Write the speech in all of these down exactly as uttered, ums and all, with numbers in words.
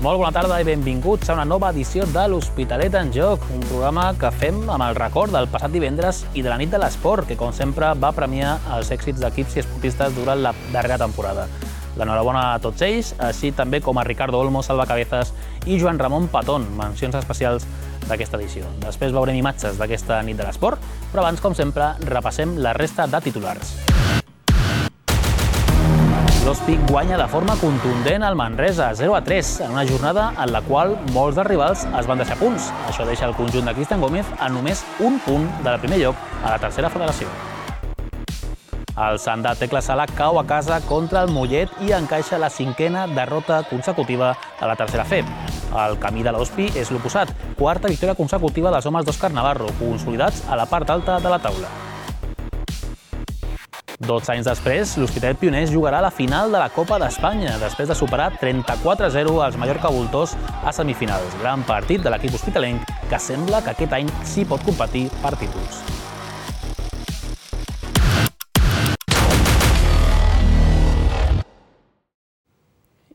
Molt bona tarda i benvinguts a una nova edició de l'Hospitalet en Joc, un programa que fem amb el record del passat divendres i de la nit de l'esport, que com sempre va premiar els èxits d'equips i esportistes durant la darrera temporada. L'enhorabona a tots ells, així també com a Ricardo Olmo, Salva Cabezas i Joan Ramon Patón, mencions especials d'aquesta edició. Després veurem imatges d'aquesta nit de l'esport, però abans, com sempre, repassem la resta de titulars. L'Hospi guanya de forma contundent al Manresa, zero a tres, en una jornada en la qual molts dels rivals es van deixar punts. Això deixa el conjunt de Cristian Gómez a només un punt del primer lloc a la tercera federació. El Sant de Tecla Sala cau a casa contra el Mollet i encaixa la cinquena derrota consecutiva a la tercera F E B. El camí de l'Hospi és l'oposat, quarta victòria consecutiva dels homes d'Òscar Navarro, consolidats a la part alta de la taula. dotze anys després, l'Hospitalet Pioners jugarà la final de la Copa d'Espanya, després de superar trenta-quatre a zero als Mallorca Voltors a semifinals. Gran partit de l'equip hospitalenc, que sembla que aquest any sí pot competir per títols.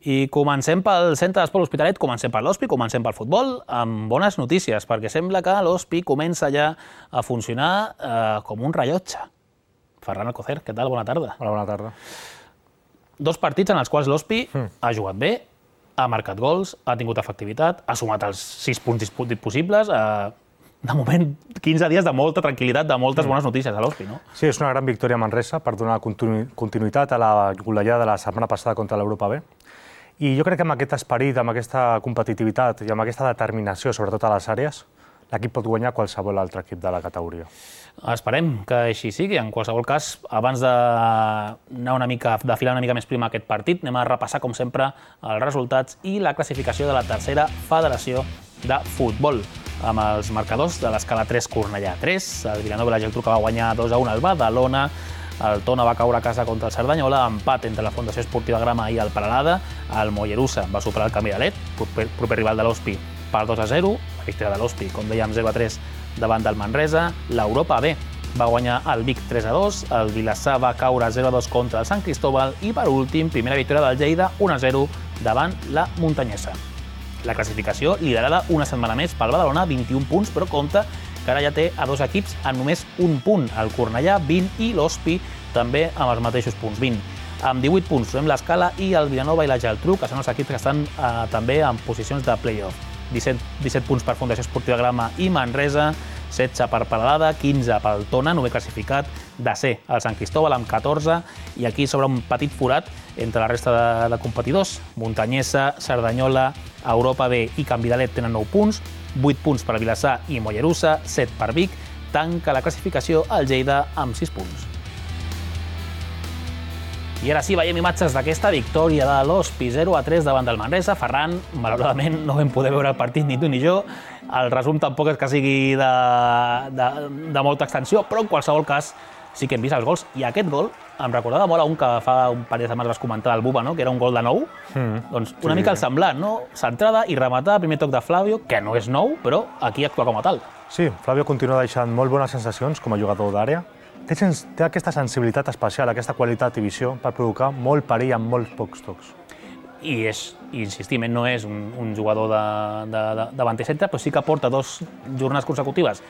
I comencem pel centre d'esport L'Hospitalet, comencem per l'Hospi, comencem pel futbol, amb bones notícies, perquè sembla que l'Hospi comença ja a funcionar eh, com un rellotge. Ferran Alcocer, què tal? Bona tarda. Hola, bona tarda. Dos partits en els quals l'Hospi mm. ha jugat bé, ha marcat gols, ha tingut efectivitat, ha sumat els sis punts possibles. Eh, de moment, quinze dies de molta tranquil·litat, de moltes bones notícies a l'Hospi, no? Sí, és una gran victòria a Manresa per donar continu continuïtat a la golejada de la setmana passada contra l'Europa B. I jo crec que amb aquest esperit, amb aquesta competitivitat i amb aquesta determinació, sobretot a les àrees, l'equip pot guanyar qualsevol altre equip de la categoria. Esperem que així sigui. En qualsevol cas, abans d'anar una mica, de filar una mica més prima aquest partit, anem a repassar, com sempre, els resultats i la classificació de la tercera federació de futbol, amb els marcadors de l'escala tres Cornellà tres, el Vilanova i la Geltrú que va guanyar dos a un al Badalona, el Tona va caure a casa contra el Cerdanyola, empat entre la Fundació Esportiva Grama i el Peralada, el Mollerussa va superar el Camiralet, proper, proper rival de l'Hospi, per dos a zero, la victòria de l'Hospi, com dèiem, zero a tres davant del Manresa. L'Europa B va guanyar el Vic tres a dos, el Vilassar va caure zero a dos contra el Sant Cristóbal i, per últim, primera victòria del Lleida, un a zero davant la Muntanyesa. La classificació liderada una setmana més pel Badalona, vint-i-un punts, però compte que ara ja té a dos equips amb només un punt, el Cornellà vint i l'Hospi també amb els mateixos punts, vint. Amb divuit punts trobem l'Escala i el Vilanova i la Geltrú, que són els equips que estan eh, també en posicions de play-off. disset, disset punts per Fundació Esportiva Grama i Manresa, setze per Peralada, quinze pel Tona, novè classificat, desè el Sant Cristóbal amb catorze, i aquí s'obre un petit forat entre la resta de, de competidors. Muntanyesa, Cerdanyola, Europa B i Camiralet tenen nou punts, vuit punts per Vilassar i Mollerussa, set per Vic, tanca la classificació el Lleida amb sis punts. I ara sí, veiem imatges d'aquesta victòria de l'Hospi, zero a tres davant del Manresa. Ferran, malauradament, no vam poder veure el partit ni tu ni jo. El resum tampoc és que sigui de, de, de molta extensió, però en qualsevol cas sí que hem vist els gols. I aquest gol em recordava molt a un que fa un parell de setmanes vas comentar del Buba, no? Que era un gol de nou. Mm. Doncs una sí, mica el semblant, no? Centrada i rematada, primer toc de Flavio, que no és nou, però aquí actua com a tal. Sí, Flavio continua deixant molt bones sensacions com a jugador d'àrea. Té, té aquesta sensibilitat especial, aquesta qualitat i visió per provocar molt perill amb molts pocs tocs. I, és, i insistim, no és un, un jugador de, de, de, davanter centre, però sí que porta dos jornades consecutives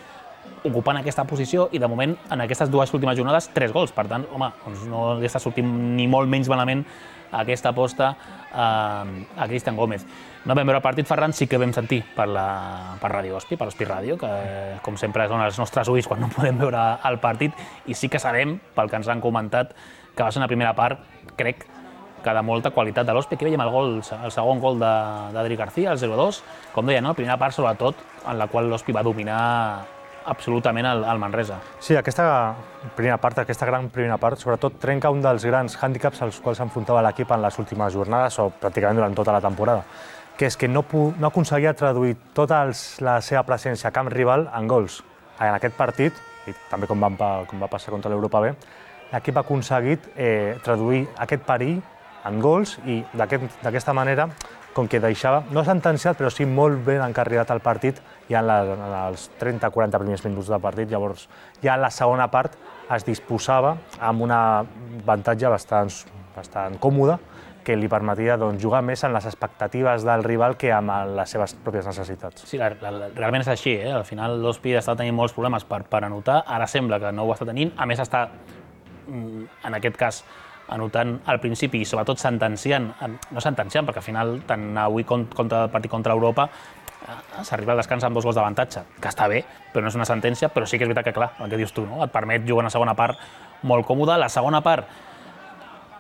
ocupant aquesta posició i, de moment, en aquestes dues últimes jornades, tres gols. Per tant, home, doncs no li està sortint ni molt menys malament aquesta aposta eh, a Cristian Gómez. No vam veure el partit, Ferran, sí que vam sentir per, la, per Ràdio Hospi, per Hospi Ràdio, que com sempre són els nostres ulls quan no podem veure el partit, i sí que sabem, pel que ens han comentat, que va ser una primera part, crec, que de molta qualitat de l'Hospi. Aquí veiem el, gol, el segon gol d'Adri García, el zero a dos, com deia, no? La primera part, sobretot, en la qual l'Hospi va dominar absolutament el, el Manresa. Sí, aquesta primera part, aquesta gran primera part, sobretot trenca un dels grans hàndicaps als quals s'enfrontava l'equip en les últimes jornades o pràcticament durant tota la temporada, que és que no, no aconseguia traduir tota els, la seva presència a camp rival en gols. En aquest partit, i també com, van, com va passar contra l'Europa B, l'equip ha aconseguit eh, traduir aquest perill en gols i d'aquesta manera, com que deixava, no sentenciat, però sí molt ben encarrilat el partit ja en, la, en els trenta quaranta primers minuts del partit. Llavors, ja en la segona part es disposava amb un avantatge bastant, bastant còmode que li permetia doncs, jugar més en les expectatives del rival que amb les seves pròpies necessitats. Sí, la, la, realment és així. Eh? Al final l'Ospi està tenint molts problemes per, per anotar, ara sembla que no ho està tenint, a més està, en aquest cas, anotant al principi i sobretot sentenciant, no sentenciant, perquè al final tant avui contra el partit contra Europa s'arriba al descans amb dos gols d'avantatge, que està bé, però no és una sentència, però sí que és veritat que, clar, el que dius tu, no? Et permet jugar una segona part molt còmoda. La segona part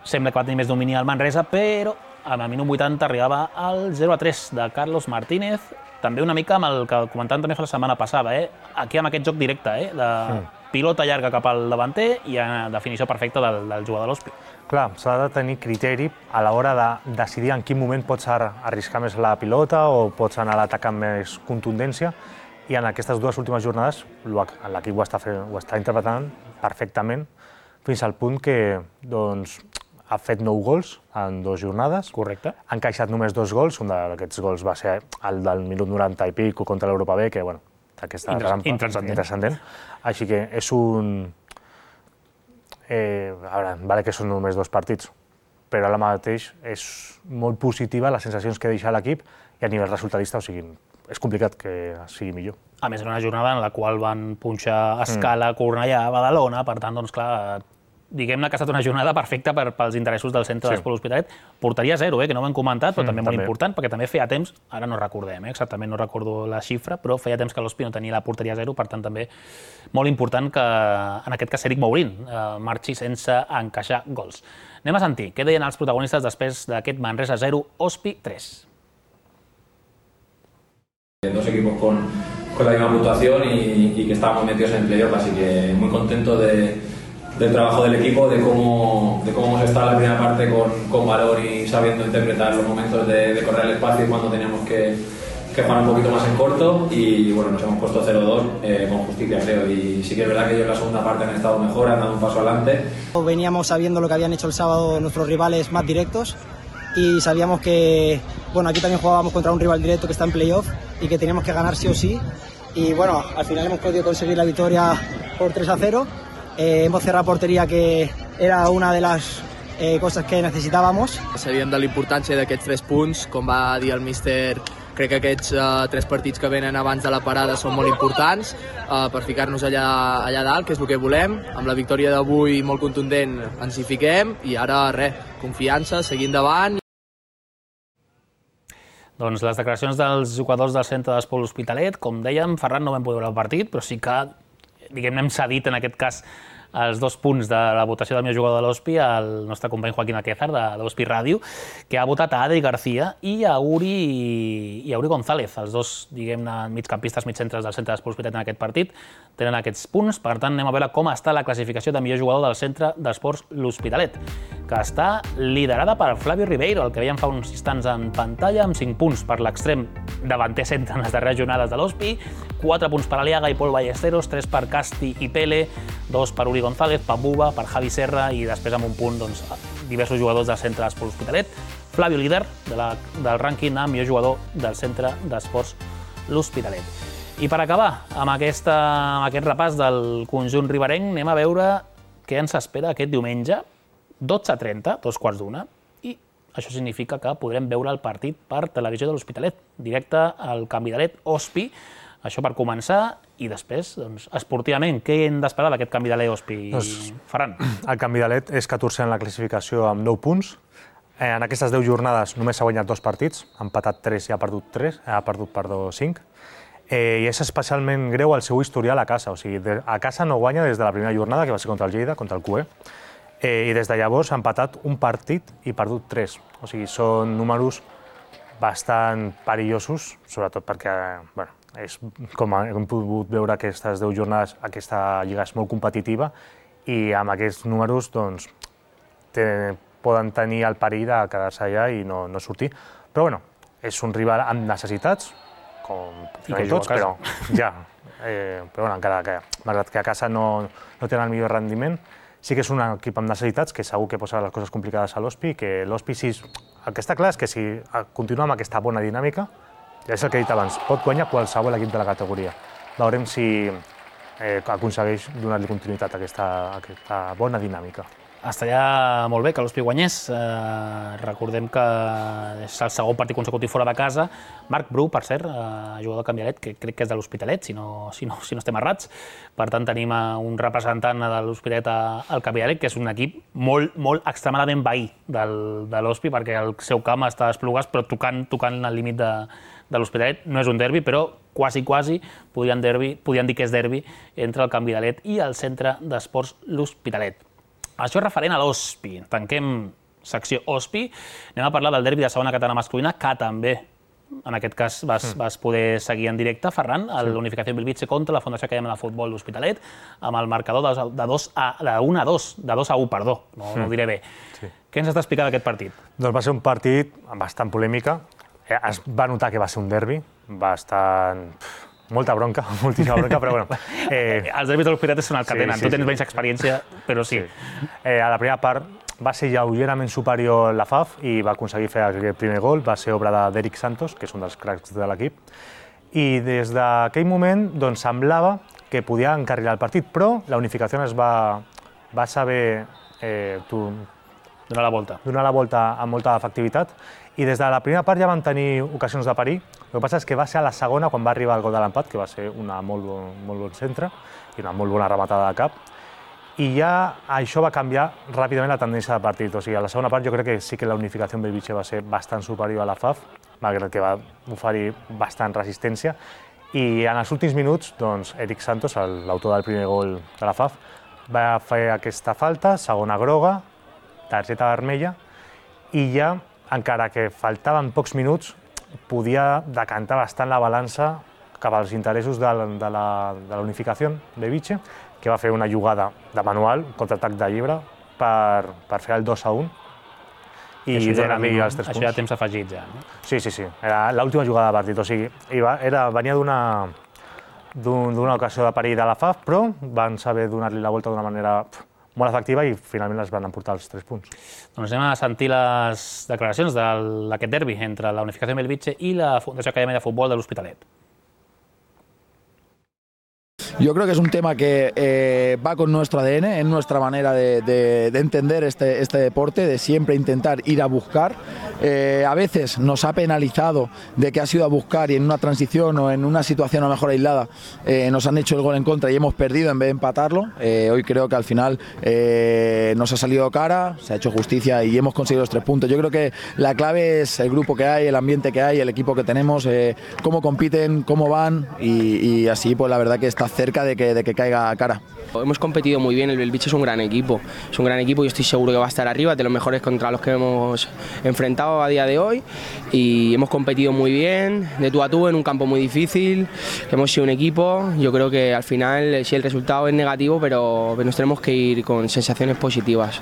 sembla que va tenir més domini al Manresa, però al minut vuitanta arribava al zero a tres de Carlos Martínez, també una mica amb el que comentàvem també fa la setmana passada, eh? Aquí amb aquest joc directe, eh? de sí. pilota llarga cap al davanter i a definició perfecta del, del jugador de l'Ospi. Clar, s'ha de tenir criteri a l'hora de decidir en quin moment pots arriscar més la pilota o pots anar a l'atac amb més contundència, i en aquestes dues últimes jornades l'equip ho, ho està interpretant perfectament, fins al punt que doncs, ha fet nou gols en dues jornades. Correcte. Ha encaixat només dos gols, un d'aquests gols va ser el del minut noranta i pico contra l'Europa B, que, bueno, aquesta rampa intranscendent. Així que és un... Eh, a veure, vale que són només dos partits, però ara mateix és molt positiva les sensacions que deixa l'equip i a nivell resultadista, o sigui, és complicat que sigui millor. A més, era una jornada en la qual van punxar Escala, mm. Cornellà, Badalona, per tant, doncs clar, diguem-ne que ha estat una jornada perfecta per, pels interessos del centre sí. d'Esport L'Hospitalet. Porteria zero, eh, que no ho hem comentat, però mm, també molt també. important, perquè també feia temps, ara no recordem, eh, exactament no recordo la xifra, però feia temps que l'Hospi no tenia la porteria zero, per tant també molt important que, en aquest cas, Eric Mourín eh, marxi sense encaixar gols. Anem a sentir què deien els protagonistes després d'aquest Manresa zero, Hospi tres. Dos equipos con, con la misma puntuación y, y que estábamos metidos en el playoff, así que muy contento de del trabajo del equipo, de cómo, de cómo hemos estado en la primera parte con, con valor y sabiendo interpretar los momentos de, de correr el espacio y cuando teníamos que, que jugar un poquito más en corto, y bueno, nos hemos puesto cero dos eh, con justicia, creo, y sí que es verdad que ellos en la segunda parte han estado mejor, han dado un paso adelante. Veníamos sabiendo lo que habían hecho el sábado nuestros rivales más directos y sabíamos que, bueno, aquí también jugábamos contra un rival directo que está en playoff y que teníamos que ganar sí o sí, y bueno, al final hemos podido conseguir la victoria por tres a cero. Eh, hemos cerrado porteria, que era una de les eh, coses que necessitàvamos. Sabíem de la importància d'aquests tres punts, com va dir el míster, crec que aquests uh, tres partits que venen abans de la parada són molt importants uh, per ficar-nos allà, allà dalt, que és el que volem. Amb la victòria d'avui molt contundent ens hi fiquem i ara res, confiança, seguir endavant. Doncs les declaracions dels jugadors del centre d'Esport L'Hospitalet, com dèiem, Ferran no vam poder veure el partit, però sí que diguem-ne, hem cedit en aquest cas els dos punts de la votació del millor jugador de l'Hospi al nostre company Joaquín Alquézar, de l'Hospi Ràdio, que ha votat a Adri García i a Uri, i a Uri González, els dos, diguem-ne, migcampistes, migcentres del centre d'Esport L'Hospitalet en aquest partit, tenen aquests punts. Per tant, anem a veure com està la classificació de millor jugador del centre d'Esports L'Hospitalet, que està liderada per Flavio Ribeiro, el que veiem fa uns instants en pantalla, amb cinc punts per l'extrem davanter centre en les darreres jornades de l'Hospi, quatre punts per Aliaga i Pol Ballesteros, tres per Casti i Pele, dos per Uri González, per Buba, per Javi Serra i després amb un punt doncs, diversos jugadors del centre d'Esports L'Hospitalet. Flavio, líder de la, del rànquing amb millor jugador del centre d'Esports L'Hospitalet. I per acabar amb, aquesta, amb aquest repàs del conjunt riberenc, anem a veure què ens espera aquest diumenge, dotze a trenta, dos quarts d'una, i això significa que podrem veure el partit per televisió de l'Hospitalet, directe al Can Vidalet Hospi. Això per començar, i després, doncs, esportivament, què hem d'esperar d'aquest Can Vidalet Hospi, doncs, Ferran? El Can Vidalet és catorzè en la classificació amb nou punts. Eh, en aquestes deu jornades només s'ha guanyat dos partits, ha empatat tres i ha perdut tres, ha perdut, perdó, cinc. Eh, I és especialment greu el seu historial a casa, o sigui, de, a casa no guanya des de la primera jornada, que va ser contra el Lleida, contra el Q E, eh, i des de llavors ha empatat un partit i perdut tres. O sigui, són números bastant perillosos, sobretot perquè, bueno, és, com hem pogut veure aquestes deu jornades, aquesta lliga és molt competitiva i amb aquests números doncs, te, poden tenir el perill de quedar-se allà i no, no sortir. Però bueno, és un rival amb necessitats, com tots, però ja. Eh, però bueno, encara que, malgrat que a casa no, no tenen el millor rendiment, sí que és un equip amb necessitats que segur que posa les coses complicades a l'Hospi, que l'Hospi, si, el que està clar és que si continua amb aquesta bona dinàmica, ja és el que he dit abans, pot guanyar qualsevol equip de la categoria. Veurem si eh, aconsegueix donar-li continuïtat a aquesta, a aquesta bona dinàmica. Estaria molt bé que l'Hospi guanyés. Eh, recordem que és el segon partit consecutiu fora de casa. Marc Bru, per cert, eh, jugador de Canvialet, que crec que és de l'Hospitalet, si no, si no, si no estem errats. Per tant, tenim un representant de l'Hospitalet al Canvialet, que és un equip molt, molt extremadament veí del, de l'Hospi, perquè el seu camp està a Esplugues, però tocant, tocant el límit de, de l'Hospitalet. No és un derbi, però quasi, quasi podien, derbi, podien dir que és derbi entre el Canvialet i el Centre d'Esports l'Hospitalet. Això és referent a l'Hospi. Tanquem secció Hospi. Anem a parlar del derbi de segona catalana masculina, que també, en aquest cas, vas, mm. vas poder seguir en directe, Ferran, a sí. l'Unificació Bellvitge contra la Fundació Acadèmia de Futbol l'Hospitalet, amb el marcador de, de, dos a, de un a dos, de dos a u, perdó, no, mm. no ho diré bé. Sí. Què ens has d'explicar d'aquest partit? Doncs va ser un partit amb bastant polèmica. Es va notar que va ser un derbi, bastant... Molta bronca, moltíssima bronca, però bueno... Eh... Els derbis de l'Hospitalet són el que sí, tenen. Sí, tu tens sí. menys experiència, però sí. sí. Eh, a la primera part va ser lleugerament superior la F A F i va aconseguir fer el primer gol. Va ser obra d'Eric Santos, que és un dels cracs de l'equip. I des d'aquell moment doncs, semblava que podia encarrilar el partit, però la Unificació es va, va saber eh, tu, donar la volta. donar la volta amb molta efectivitat. I des de la primera part ja van tenir ocasions de parir. El que passa és que va ser a la segona quan va arribar el gol de l'empat, que va ser una molt bon, molt bon centre i una molt bona rematada de cap. I ja això va canviar ràpidament la tendència de partit. O sigui, a la segona part jo crec que sí que la Unificació en Bellvitge va ser bastant superior a la F A F, malgrat que va oferir bastant resistència. I en els últims minuts, doncs, Eric Santos, l'autor del primer gol de la F A F, va fer aquesta falta, segona groga, targeta vermella, i ja, encara que faltaven pocs minuts, podia decantar bastant la balança cap als interessos de la, de la, de la Unificació de Bellvitge, que va fer una jugada de manual, contraatac de llibre, per, per fer el dos a un i donar-li els tres punts. Això ja temps afegit, ja, no? Sí, sí, sí. Era l'última jugada de partit. O sigui, era, venia d'una d'una ocasió de perill de la F A F, però van saber donar-li la volta d'una manera molt efectiva i finalment les van emportar els tres punts. Doncs anem a sentir les declaracions d'aquest derbi entre la Unificació de Bellvitge i la Fundació Acadèmia de Futbol de l'Hospitalet. Yo creo que es un tema que eh, va con nuestro A D N, en nuestra manera de, de, de entender este, este deporte, de siempre intentar ir a buscar. Eh, a veces nos ha penalizado de que ha sido a buscar y en una transición o en una situación a lo mejor aislada eh, nos han hecho el gol en contra y hemos perdido en vez de empatarlo. Eh, hoy creo que al final eh, nos ha salido cara, se ha hecho justicia y hemos conseguido los tres puntos. Yo creo que la clave es el grupo que hay, el ambiente que hay, el equipo que tenemos, eh, cómo compiten, cómo van y, y así pues la verdad que está cerca de que, de que caiga cara. Hemos competido muy bien, el Bellvitge es un gran equipo, es un gran equipo y estoy seguro que va a estar arriba, de los mejores contra los que hemos enfrentado a día de hoy y hemos competido muy bien, de tú a tú en un campo muy difícil, hemos sido un equipo, yo creo que al final sí el resultado es negativo pero nos tenemos que ir con sensaciones positivas.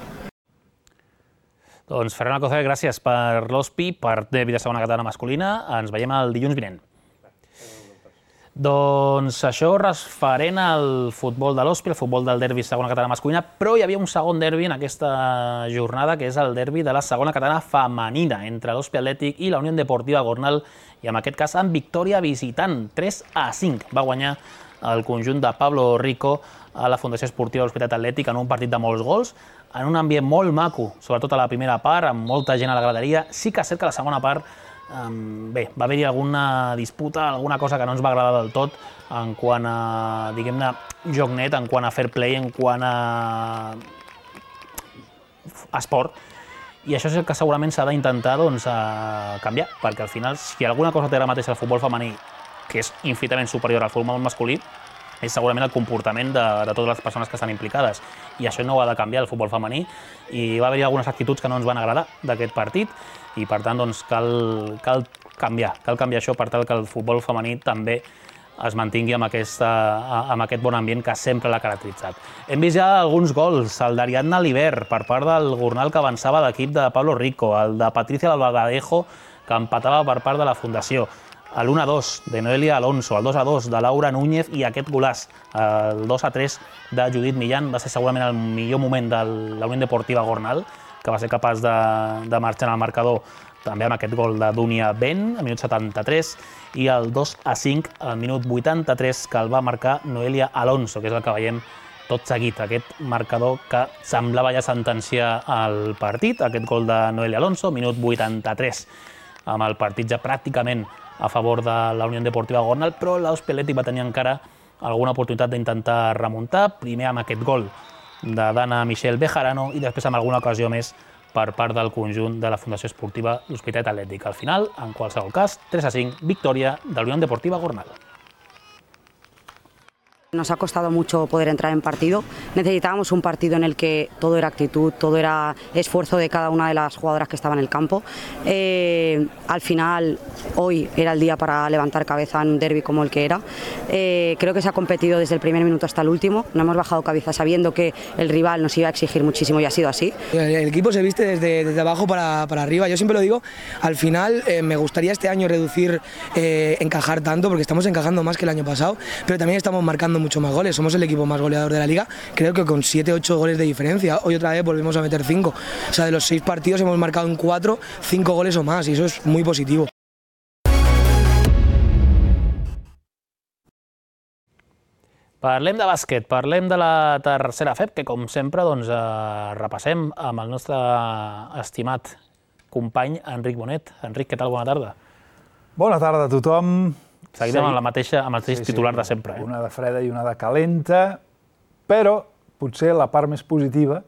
Doncs Ferran Alcocer, gràcies per l'Hospi, per derbi de segona catalana masculina, ens veiem el dilluns vinent. Doncs això referent al futbol de l'Hospi, el futbol del derbi segona catalana masculina, però hi havia un segon derbi en aquesta jornada, que és el derbi de la segona catalana femenina, entre l'Hospi Atlètic i la Unió Deportiva Gornal, i en aquest cas amb victòria visitant, tres a cinc. Va guanyar el conjunt de Pablo Rico a la Fundació Esportiva de l'Hospitalet Atlètic en un partit de molts gols, en un ambient molt maco, sobretot a la primera part, amb molta gent a la graderia. Sí que és cert que la segona part Um, bé, va haver-hi alguna disputa, alguna cosa que no ens va agradar del tot en quant a, diguem-ne, joc net, en quant a fair play, en quant a esport, i això és el que segurament s'ha d'intentar doncs, canviar, perquè al final, si alguna cosa té ara mateix el futbol femení, que és infinitament superior al futbol masculí, és segurament el comportament de, de totes les persones que estan implicades. I això no ho ha de canviar el futbol femení, i va haver-hi algunes actituds que no ens van agradar d'aquest partit, i per tant doncs, cal, cal canviar, cal canviar això per tal que el futbol femení també es mantingui amb, aquesta, amb aquest bon ambient que sempre l'ha caracteritzat. Hem vist ja alguns gols, el d'Ariadna Liber per part del Gornal que avançava l'equip de Pablo Rico, el de Patricia Albaladejo que empatava per part de la Fundació, l'u a dos de Noelia Alonso, el dos a dos de Laura Núñez i aquest golàs, el dos a tres de Judit Millán, va ser segurament el millor moment de la Unió Deportiva Gornal, que va ser capaç de, de marxar en el marcador també amb aquest gol de Dunia Ben, al minut setanta-tres, i el dos a cinc al minut vuitanta-tres, que el va marcar Noelia Alonso, que és el que veiem tot seguit aquest marcador que semblava ja sentenciar el partit, aquest gol de Noelia Alonso, minut vuitanta-tres, amb el partit ja pràcticament a favor de la Unió Deportiva Gornal, però l'Ospeleti va tenir encara alguna oportunitat d'intentar remuntar, primer amb aquest gol de Dana Michel Bejarano i després amb alguna ocasió més per part del conjunt de la Fundació Esportiva L'Hospitalet Atlètic. Al final, en qualsevol cas, tres a cinc, victòria de la Unió Deportiva Gornal. Nos ha costado mucho poder entrar en partido. Necesitábamos un partido en el que todo era actitud, todo era esfuerzo de cada una de las jugadoras que estaban en el campo. Eh, al final, hoy era el día para levantar cabeza en un derbi como el que era. Eh, creo que se ha competido desde el primer minuto hasta el último. No hemos bajado cabeza sabiendo que el rival nos iba a exigir muchísimo y ha sido así. El equipo se viste desde, desde abajo para, para arriba. Yo siempre lo digo, al final eh, me gustaría este año reducir, eh, encajar tanto, porque estamos encajando más que el año pasado, pero también estamos marcando mucho más goles. Somos el equipo más goleador de la liga, creo que con siete ocho goles de diferencia. Hoy otra vez volvemos a meter cinco. O sea, de los seis partidos hemos marcado en cuatro, cinco goles o más, y eso es muy positivo. Parlem de bàsquet, parlem de la tercera F E P, que com sempre doncs, eh, repassem amb el nostre estimat company Enric Bonet. Enric, què tal? Bona tarda. Bona tarda a tothom. Seguim amb, la mateixa, amb el mateix sí, titular sí, de sempre. Eh? Una de freda i una de calenta, però potser la part més positiva,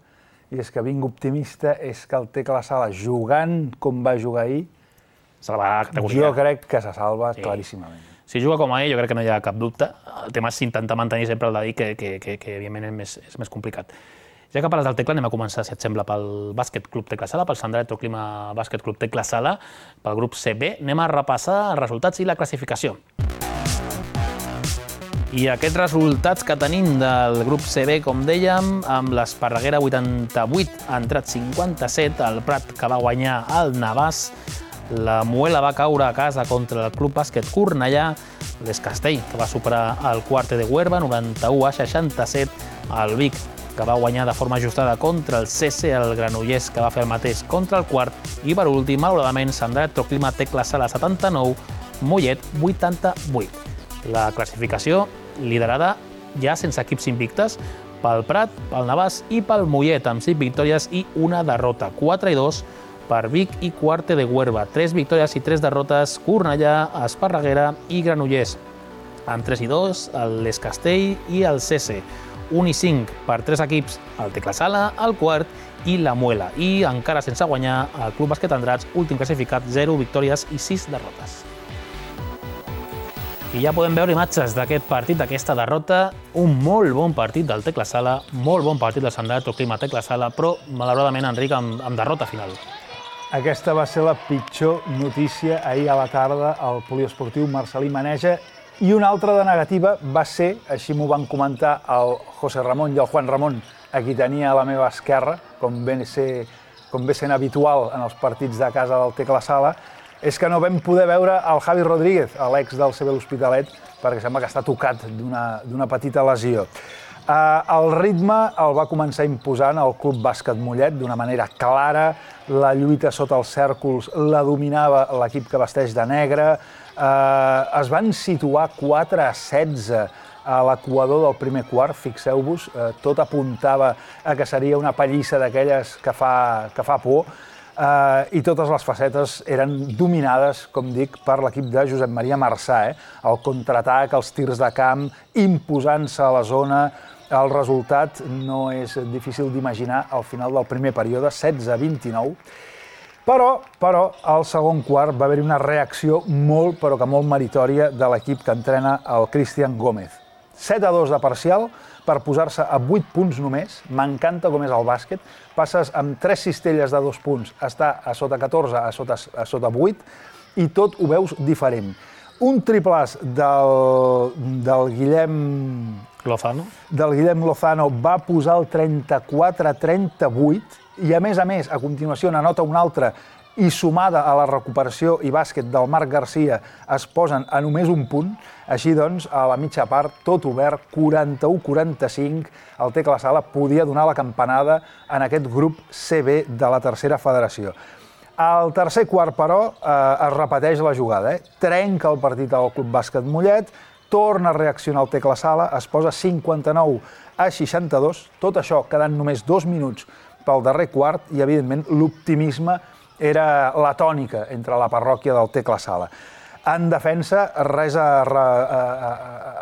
i és que vinc optimista, és que el Tecla Sala, jugant com va jugar ahir, jo crec que se salva sí. claríssimament. Si juga com ahir, jo crec que no hi ha cap dubte. El tema és intentar mantenir sempre el de dir que, que, que, que evidentment és més, és més complicat. Ja que parles del Tecla, anem a començar, si et sembla, pel Bàsquet Club Tecla Sala, pel Sant Electroclima Bàsquet Club Tecla Sala, pel grup C B. Anem a repassar els resultats i la classificació. I aquests resultats que tenim del grup C B, com dèiem, amb l'Esparreguera vuitanta-vuit, ha entrat cinquanta-set, el Prat que va guanyar el Navàs, la Muela va caure a casa contra el Club Bàsquet Cornellà, l'Escastell, que va superar el Quarte de Huerva, noranta-u a seixanta-set, el Vic, que va guanyar de forma ajustada contra el C C, el Granollers, que va fer el mateix contra el Quart, i per últim, malauradament, Sant Electroclima Tecla Sala setanta-nou, Mollet vuitanta-vuit. La classificació liderada ja sense equips invictes pel Prat, pel Navàs i pel Mollet, amb cinc victòries i una derrota. quatre i dos per Vic i Quarte de Huerva. tres victòries i tres derrotes Cornellà, Esparreguera i Granollers. Amb tres i dos l'Escastell i el C C. un i cinc per tres equips, el Tecla Sala, el Quart i la Muela. I encara sense guanyar el Club Bàsquet Andrats, últim classificat, zero victòries i sis derrotes. I ja podem veure imatges d'aquest partit, d'aquesta derrota. Un molt bon partit del Tecla Sala, molt bon partit del Sant Electroclima Tecla Sala, però malauradament, Enric, amb, amb derrota final. Aquesta va ser la pitjor notícia ahir a la tarda al poliesportiu Marcelí Maneja. I una altra de negativa va ser, així m'ho van comentar el José Ramon i el Juan Ramon, a qui tenia a la meva esquerra, com ve, ser, com ve sent habitual en els partits de casa del Tecla Sala, és que no vam poder veure el Javi Rodríguez, l'ex del C B L'Hospitalet, perquè sembla que està tocat d'una petita lesió. Uh, el ritme el va començar imposant el Club Bàsquet Mollet d'una manera clara, la lluita sota els cèrcols la dominava l'equip que vesteix de negre, Uh, es van situar quatre a setze a l'equador del primer quart, fixeu-vos, uh, tot apuntava a que seria una pallissa d'aquelles que fa, que fa por, uh, i totes les facetes eren dominades, com dic, per l'equip de Josep Maria Marçà. Eh? El contraatac, els tirs de camp, imposant-se a la zona. El resultat no és difícil d'imaginar al final del primer període, setze a vint-i-nou. Però, però, al segon quart va haver-hi una reacció molt, però que molt meritòria de l'equip que entrena el Cristian Gómez. set a dos de parcial per posar-se a vuit punts només. M'encanta com és el bàsquet. Passes amb tres cistelles de dos punts, està a sota catorze, a sota, a sota vuit, i tot ho veus diferent. Un triplàs del, del Guillem... Lozano. Del Guillem Lozano va posar el trenta-quatre a trenta-vuit, i a més a més, a continuació n'anota un altre, i sumada a la recuperació i bàsquet del Marc Garcia es posen a només un punt. Així doncs, a la mitja part, tot obert, quaranta-u a quaranta-cinc, el Tecla Sala podia donar la campanada en aquest grup C B de la tercera federació. Al tercer quart, però, eh, es repeteix la jugada. Eh? Trenca el partit al Club Bàsquet Mollet, torna a reaccionar el Tecla Sala, es posa cinquanta-nou a seixanta-dos, tot això quedant només dos minuts pel darrer quart i, evidentment, l'optimisme era la tònica entre la parròquia del Tecla Sala. En defensa, res a, a, a,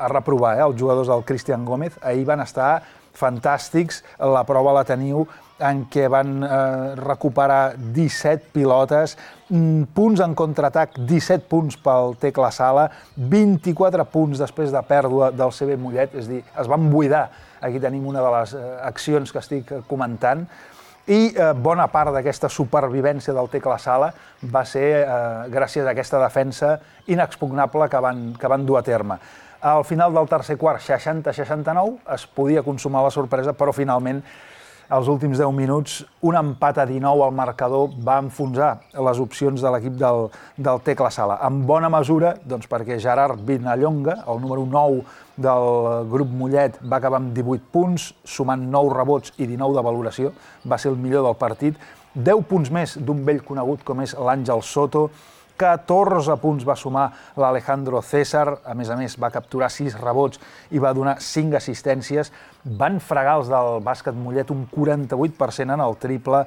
a reprovar, eh? Els jugadors del Cristian Gómez ahir van estar fantàstics, la prova la teniu en què van eh, recuperar disset pilotes, punts en contraatac, disset punts pel Tecla Sala, vint-i-quatre punts després de pèrdua del C B Mollet, és a dir, es van buidar. Aquí tenim una de les eh, accions que estic comentant, i eh, bona part d'aquesta supervivència del Tecla Sala va ser eh, gràcies a aquesta defensa inexpugnable que van, que van dur a terme. Al final del tercer quart, seixanta a seixanta-nou, es podia consumar la sorpresa, però finalment, als últims deu minuts, un empat a dinou al marcador va enfonsar les opcions de l'equip del, del Tecla Sala. En bona mesura, doncs, perquè Gerard Vinallonga, el número nou del grup Mollet, va acabar amb divuit punts, sumant nou rebots i dinou de valoració, va ser el millor del partit, deu punts més d'un vell conegut com és l'Àngel Soto, catorze punts va sumar l'Alejandro César, a més a més va capturar sis rebots i va donar cinc assistències, van fregar els del bàsquet Mollet un quaranta-vuit per cent en el triple.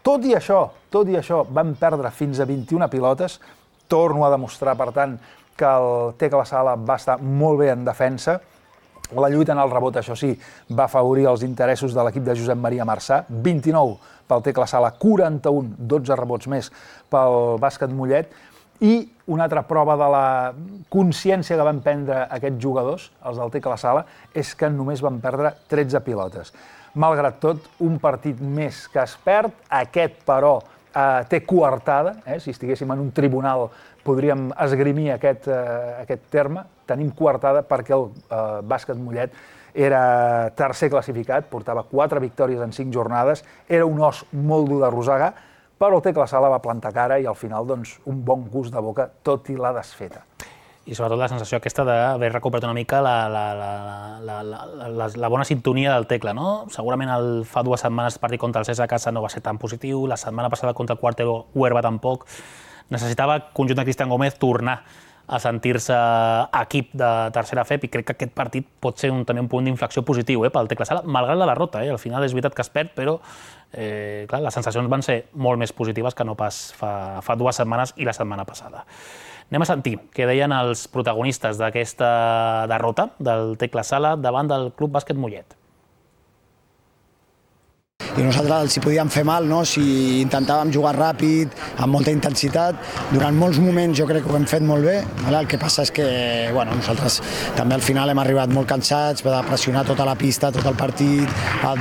Tot i això, tot i això, van perdre fins a vint-i-una pilotes, torno a demostrar, per tant, que el Tecla Sala va estar molt bé en defensa. La lluita en el rebot, això sí, va afavorir els interessos de l'equip de Josep Maria Marçà, vint-i-nou pel Tecla Sala, quaranta-un, dotze rebots més pel bàsquet Mollet, i una altra prova de la consciència que van prendre aquests jugadors, els del Tecla Sala, és que només van perdre tretze pilotes. Malgrat tot, un partit més que es perd, aquest, però, eh, té coartada, eh? Si estiguéssim en un tribunal podríem esgrimir aquest, eh, aquest terme, tenim coartada perquè el eh, bàsquet Mollet era tercer classificat, portava quatre victòries en cinc jornades, era un os molt dur de rosegar, però el Tecla Sala va plantar cara i al final doncs, un bon gust de boca, tot i la desfeta. I sobretot la sensació aquesta d'haver recuperat una mica la, la, la, la, la, la, la bona sintonia del Tecla, no? Segurament el, fa dues setmanes el partit contra el César a casa no va ser tan positiu, la setmana passada contra el Quartero Huerva tampoc. Necessitava el conjunt de Cristian Gómez tornar a sentir-se equip de tercera F E P i crec que aquest partit pot ser un, també un punt d'inflexió positiu eh, pel Tecla Sala, malgrat la derrota. Eh? Al final és veritat que es perd, però eh, clar, les sensacions van ser molt més positives que no pas fa, fa dues setmanes i la setmana passada. Anem a sentir què deien els protagonistes d'aquesta derrota del Tecla Sala davant del Club Bàsquet Mollet. I nosaltres els hi podíem fer mal, no? Si intentàvem jugar ràpid, amb molta intensitat. Durant molts moments jo crec que ho hem fet molt bé. El que passa és que bueno, nosaltres també al final hem arribat molt cansats, de pressionar tota la pista, tot el partit,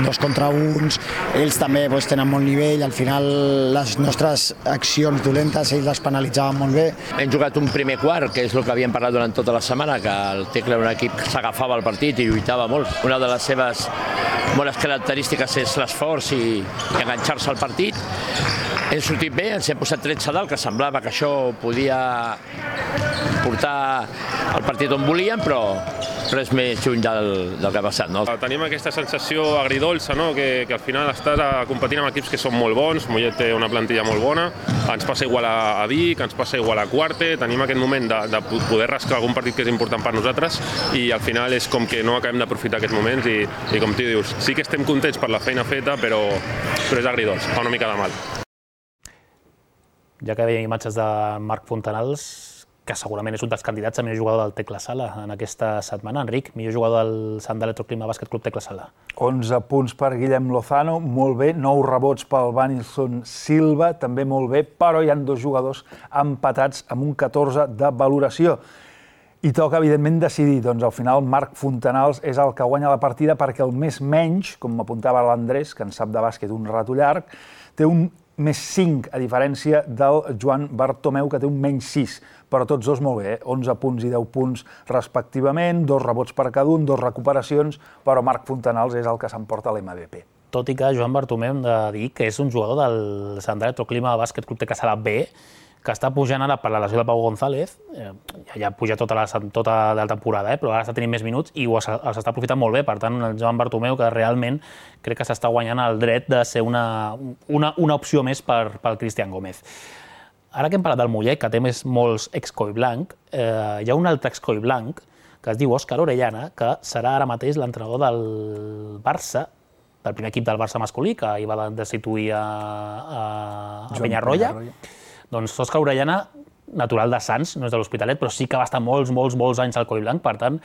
dos contra uns. Ells també doncs, tenen molt nivell, al final les nostres accions dolentes ells les penalitzaven molt bé. Hem jugat un primer quart, que és el que havíem parlat durant tota la setmana, que el Tecla era un equip que s'agafava al partit i lluitava molt. Una de les seves bones característiques és l'esforç i enganxar-se al partit. Hem sortit bé, ens hem posat tretze dalt, que semblava que això podia portar el partit on volíem, però res més lluny del, del que ha passat. No? Tenim aquesta sensació agridolça, no? que, que al final estàs competint amb equips que són molt bons, Mollet té una plantilla molt bona, ens passa igual a, a Vic, ens passa igual a Quarte, tenim aquest moment de, de poder rascar algun partit que és important per nosaltres i al final és com que no acabem d'aprofitar aquests moments i, i com tu dius, sí que estem contents per la feina feta, però, però és agridolç, fa una mica de mal. Ja que veiem imatges de Marc Fontanals, que segurament és un dels candidats a millor jugador del Tecla Sala en aquesta setmana. Enric, millor jugador del Sant Electroclima Bàsquet Club Tecla Sala. onze punts per Guillem Lozano, molt bé, nou rebots pel Vanilson Silva, també molt bé, però hi ha dos jugadors empatats amb un catorze de valoració. I toca, evidentment, decidir. Doncs al final Marc Fontanals és el que guanya la partida perquè el més menys, com m'apuntava l'Andrés, que en sap de bàsquet un rato llarg, té un més cinc, a diferència del Joan Bartomeu, que té un menys sis. Però tots dos molt bé, eh? onze punts i deu punts respectivament, dos rebots per cada un, dos recuperacions, però Marc Fontanals és el que s'emporta l'M V P. Tot i que Joan Bartomeu hem de dir que és un jugador del Sant Electroclima Bàsquet Club Tecla Sala B, que està pujant ara per la lesió de Pau González, eh, ja puja tota la, tota la temporada, eh, però ara està tenint més minuts i els està aprofitant molt bé. Per tant, el Joan Bartomeu, que realment crec que s'està guanyant el dret de ser una, una, una opció més per, pel Cristian Gómez. Ara que hem parlat del Mollet, que té més molts ex-coi blanc, eh, hi ha un altre ex-coi blanc, que que es diu Òscar Orellana, que serà ara mateix l'entrenador del Barça, del primer equip del Barça masculí, que hi va destituir a, a, a Penyarroia. Doncs Òscar Orellana, natural de Sants, no és de l'Hospitalet, però sí que va estar molts, molts, molts anys al Coll Blanc. Per tant,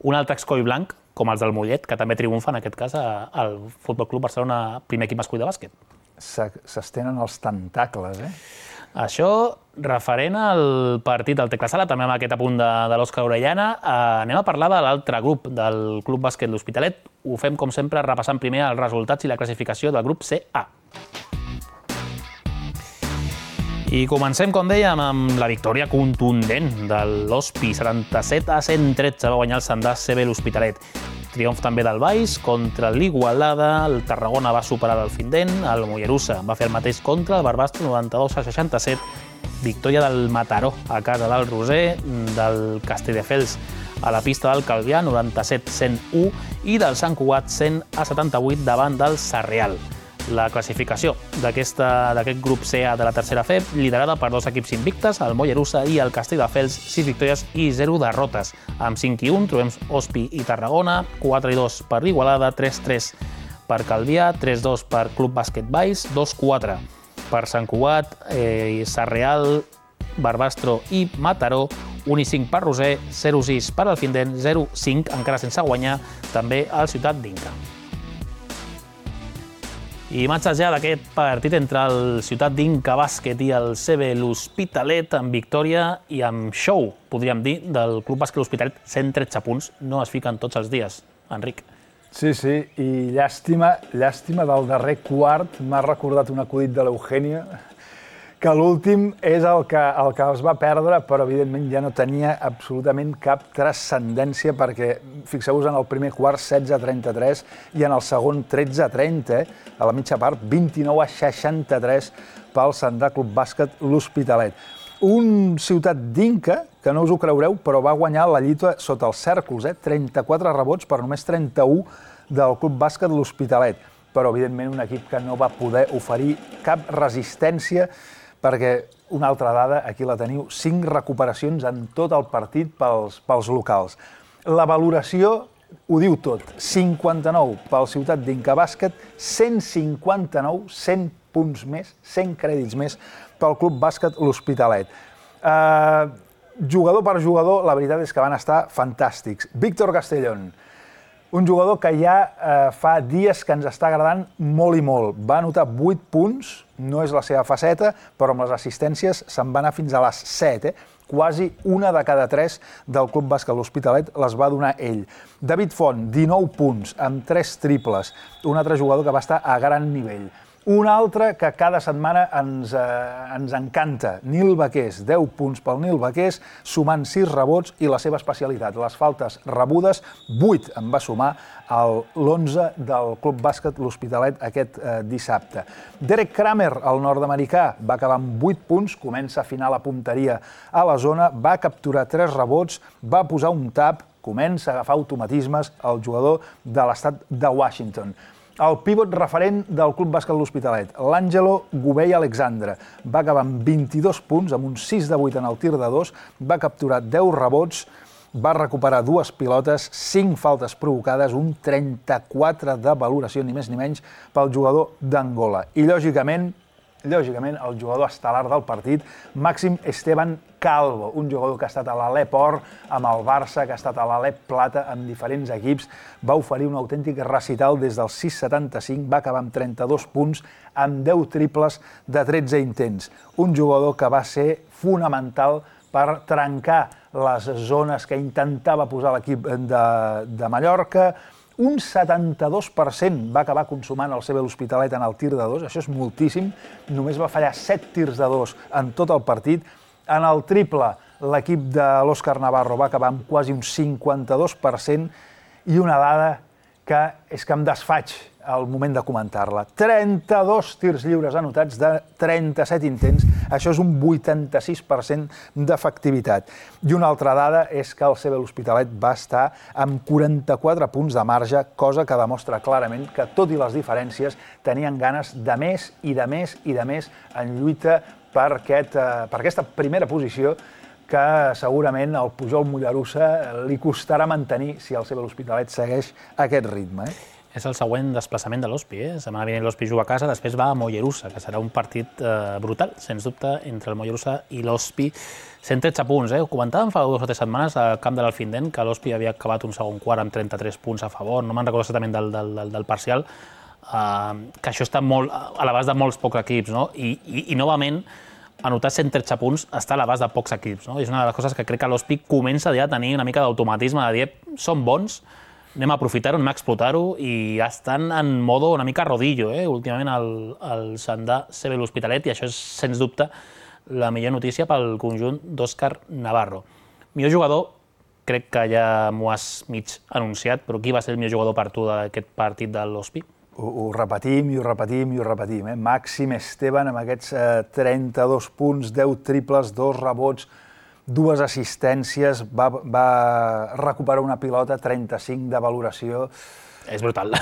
un altre ex-Coll Blanc, com els del Mollet, que també triomfa en aquest cas al Futbol Club Barcelona, primer equip masculí de bàsquet. S'estenen els tentacles, eh? Això, referent al partit del Tecla Sala, també amb aquest apunt de, de l'Òscar Orellana, eh, anem a parlar de l'altre grup del Club Bàsquet L'Hospitalet. Ho fem, com sempre, repassant primer els resultats i la classificació del grup C A. I comencem, com dèiem, amb la victòria contundent de l'Hospi, setanta-set a cent tretze, va guanyar el Sandàs C B L'Hospitalet. Triomf també del Baix contra l'Igualada, el Tarragona va superar el Findent, el Mollerussa va fer el mateix contra el Barbastro, noranta-dos a seixanta-set, victòria del Mataró a casa del Roser, del Castelldefels a la pista del Calvià, noranta-set a cent u, i del Sant Cugat, cent a setanta-vuit, davant del Sarrial. La classificació d'aquest grup C A de la tercera F E B, liderada per dos equips invictes, el Mollerussa i el Castelldefels, sis victòries i zero derrotes. Amb cinc i un trobem Hospi i Tarragona, quatre i dos per l'Igualada, tres a tres per Calvià, tres a dos per Club Bàsquet Baix, dos a quatre per Sant Cugat, eh, Sarrial, Barbastro i Mataró, un i cinc per Roser, zero a sis per Alfindent, zero a cinc, encara sense guanyar, també al Ciutat d'Inca. I imatges ja d'aquest partit entre el Ciutat d'Inca Bàsquet i el C B L'Hospitalet, amb victòria i amb show, podríem dir, del Club Bàsquet L'Hospitalet, cent tretze punts, no es fiquen tots els dies, Enric. Sí, sí, i llàstima, llàstima del darrer quart, m'ha recordat un acudit de l'Eugènia, que l'últim és el que, el que es va perdre, però evidentment ja no tenia absolutament cap transcendència, perquè fixeu-vos en el primer quart setze a trenta-tres i en el segon tretze a trenta, eh? A la mitja part vint-i-nou a seixanta-tres pel Sandà Club Bàsquet L'Hospitalet. Un Ciutat d'Inca, que no us ho creureu, però va guanyar la lluita sota els cèrcols, eh? trenta-quatre rebots per només trenta-u del Club Bàsquet L'Hospitalet. Però, evidentment, un equip que no va poder oferir cap resistència, perquè una altra dada, aquí la teniu, cinc recuperacions en tot el partit pels, pels locals. La valoració ho diu tot, cinquanta-nou pel Ciutat d'Inca Bàsquet, cent cinquanta-nou, cent punts més, cent crèdits més pel Club Bàsquet L'Hospitalet. Eh, jugador per jugador, la veritat és que van estar fantàstics. Víctor Castellón, un jugador que ja eh, fa dies que ens està agradant molt i molt. Va anotar vuit punts, no és la seva faceta, però amb les assistències se'n va anar fins a les set. Eh? Quasi una de cada tres del Club Bàsquet L'Hospitalet les va donar ell. David Font, dinou punts, amb tres triples. Un altre jugador que va estar a gran nivell. Un altre que cada setmana ens, eh, ens encanta, Nil Baqués, deu punts pel Nil Baqués, sumant sis rebots i la seva especialitat, les faltes rebudes, vuit en va sumar a l'onze del Club Bàsquet L'Hospitalet aquest eh, dissabte. Derek Kramer, el nord-americà, va acabar amb vuit punts, comença a afinar la punteria a la zona, va capturar tres rebots, va posar un tap, comença a agafar automatismes el jugador de l'estat de Washington. El pívot referent del Club Bàsquet L'Hospitalet, l'Àngelo Gubey Alexandre, va acabar amb vint-i-dos punts, amb un sis de vuit en el tir de dos, va capturar deu rebots, va recuperar dues pilotes, cinc faltes provocades, un trenta-quatre de valoració, ni més ni menys, pel jugador d'Angola. I, lògicament, lògicament, el jugador estel·lar del partit, Màxim Esteban Calvo, un jugador que ha estat a l'Alep Or amb el Barça, que ha estat a l'Alep Plata amb diferents equips, va oferir un autèntic recital des del sis setanta-cinc, va acabar amb trenta-dos punts, amb deu triples de tretze intents. Un jugador que va ser fonamental per trencar les zones que intentava posar l'equip de, de Mallorca. Un setanta-dos per cent va acabar consumant el C B L'Hospitalet en el tir de dos, això és moltíssim, només va fallar set tirs de dos en tot el partit. En el triple, l'equip de l'Òscar Navarro va acabar amb quasi un cinquanta-dos per cent i una dada que és que em desfaig al moment de comentar-la. trenta-dos tirs lliures anotats de trenta-set intents, això és un vuitanta-sis per cent d'efectivitat. I una altra dada és que el C B L'Hospitalet va estar amb quaranta-quatre punts de marge, cosa que demostra clarament que, tot i les diferències, tenien ganes de més i de més i de més en lluita per, aquest, per aquesta primera posició, que segurament el Pujol Mollerussa li costarà mantenir si el C B l'Hospitalet segueix aquest ritme. Eh? És el següent desplaçament de l'Hospi. Eh? Setmana vinent l'Hospi juga a casa, després va a Mollerussa, que serà un partit eh, brutal, sens dubte, entre el Mollerussa i l'Hospi. cent tretze punts, eh? Ho comentàvem fa dues o tres setmanes al camp de l'Alfindent, que l'Hospi havia acabat un segon quart amb trenta-tres punts a favor, no me'n recordo exactament del, del, del, del parcial, eh, que això està molt a l'abast de molts pocs equips, no? I, i, i novament, anotar cent tretze punts està a l'abast de pocs equips, no? És una de les coses que crec que l'Hospi comença ja a tenir una mica d'automatisme, de dir, som bons, anem a aprofitar-ho, anem a explotar-ho, i ja estan en modo una mica rodillo, eh? Últimament el, el Sandà C B l'Hospitalet, i això és, sens dubte, la millor notícia pel conjunt d'Òscar Navarro. Millor jugador, crec que ja m'ho has mig anunciat, però qui va ser el millor jugador per tu d'aquest partit de l'Hospi? Ho, ho repetim i ho repetim i ho repetim. Eh? Màxim Esteban amb aquests eh, trenta-dos punts, deu triples, dos rebots, dues assistències, va, va recuperar una pilota, trenta-cinc de valoració. És brutal,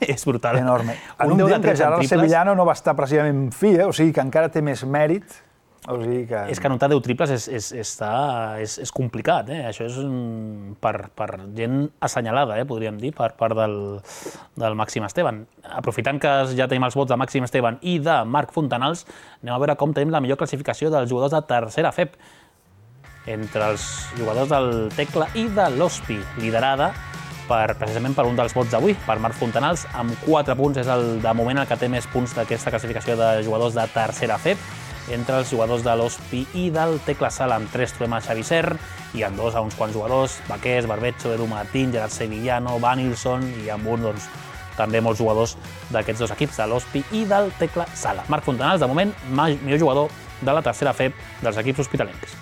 és brutal. Enorme. En un, un temps que Gerard Sevillano no va estar precisament fi, eh? O sigui que encara té més mèrit. O sigui que... És que anotar deu triples és, és, està, és, és complicat, eh? Això és un, per, per gent assenyalada, eh? Podríem dir, per part del, del Màxim Esteban. Aprofitant que ja tenim els vots de Màxim Esteban i de Marc Fontanals, anem a veure com tenim la millor classificació dels jugadors de tercera F E P entre els jugadors del Tecla i de l'Hospi, liderada per, precisament per un dels vots d'avui, per Marc Fontanals, amb quatre punts, és el de moment el que té més punts d'aquesta classificació de jugadors de tercera F E P, entre els jugadors de l'Hospi i del Tecla Sala, amb tres trobem a Xavi Serr, i amb dos a uns quants jugadors, Baquers, Barbecho, Edu Martín, Gerard Sevillano, Vanilson, i amb un, doncs, també molts jugadors d'aquests dos equips, de l'Hospi i del Tecla Sala. Marc Fontanals, de moment, millor jugador de la tercera F E P dels equips hospitalencs.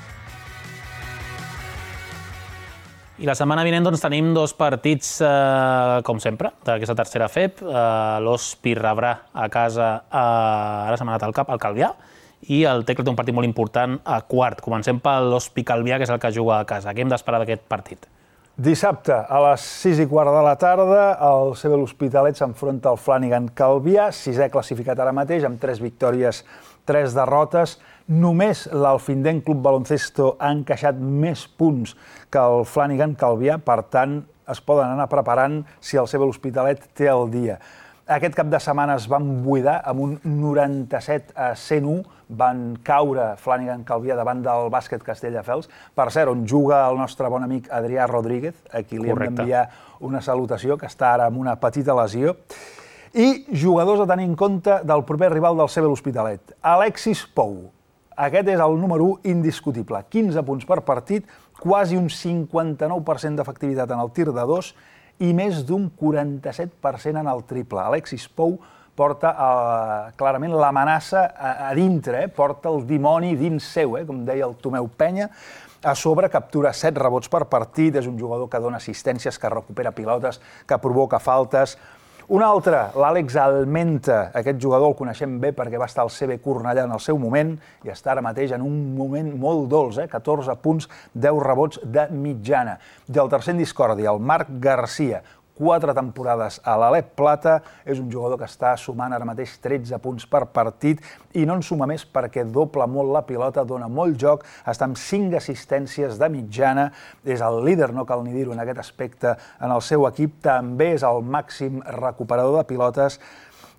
I la setmana vinent doncs, tenim dos partits, eh, com sempre, d'aquesta tercera F E P. Eh, L'Hospi rebrà a casa, eh, ara se m'ha anat al cap, al Calvià, i el Tecla té un partit molt important a quart. Comencem per l'Hospi Calvià, que és el que juga a casa. Què hem d'esperar d'aquest partit? Dissabte, a les sis i quart de la tarda, el C B l'Hospitalet s'enfronta al Flanagan Calvià, sisè classificat ara mateix, amb tres victòries, tres derrotes. Només l'Alfindent Club Baloncesto ha encaixat més punts que el Flanagan Calvià, per tant, es poden anar preparant si el C B l'Hospitalet té el dia. Aquest cap de setmana es van buidar amb un noranta-set a cent u, van caure Flanagan Calvià davant del Bàsquet Castelldefels, per cert, on juga el nostre bon amic Adrià Rodríguez, a qui li hem d'enviar una salutació, que està ara amb una petita lesió. I jugadors a tenir en compte del proper rival del C B l'Hospitalet, Alexis Pou. Aquest és el número u indiscutible, quinze punts per partit, quasi un cinquanta-nou per cent d'efectivitat en el tir de dos i més d'un quaranta-set per cent en el triple. Alexis Pou porta eh, clarament l'amenaça a, a dintre, eh? Porta el dimoni dins seu, eh? Com deia el Tomeu Penya. A sobre captura set rebots per partit, és un jugador que dona assistències, que recupera pilotes, que provoca faltes. Un altre, l'Àlex Almenta. Aquest jugador el coneixem bé perquè va estar al C B Cornellà en el seu moment i està ara mateix en un moment molt dolç, eh? catorze punts, deu rebots de mitjana. I el tercer en discòrdia, el Marc Garcia. Quatre temporades a l'Alep Plata, és un jugador que està sumant ara mateix tretze punts per partit i no en suma més perquè dobla molt la pilota, dona molt joc, està amb cinc assistències de mitjana, és el líder, no cal ni dir-ho en aquest aspecte, en el seu equip, també és el màxim recuperador de pilotes.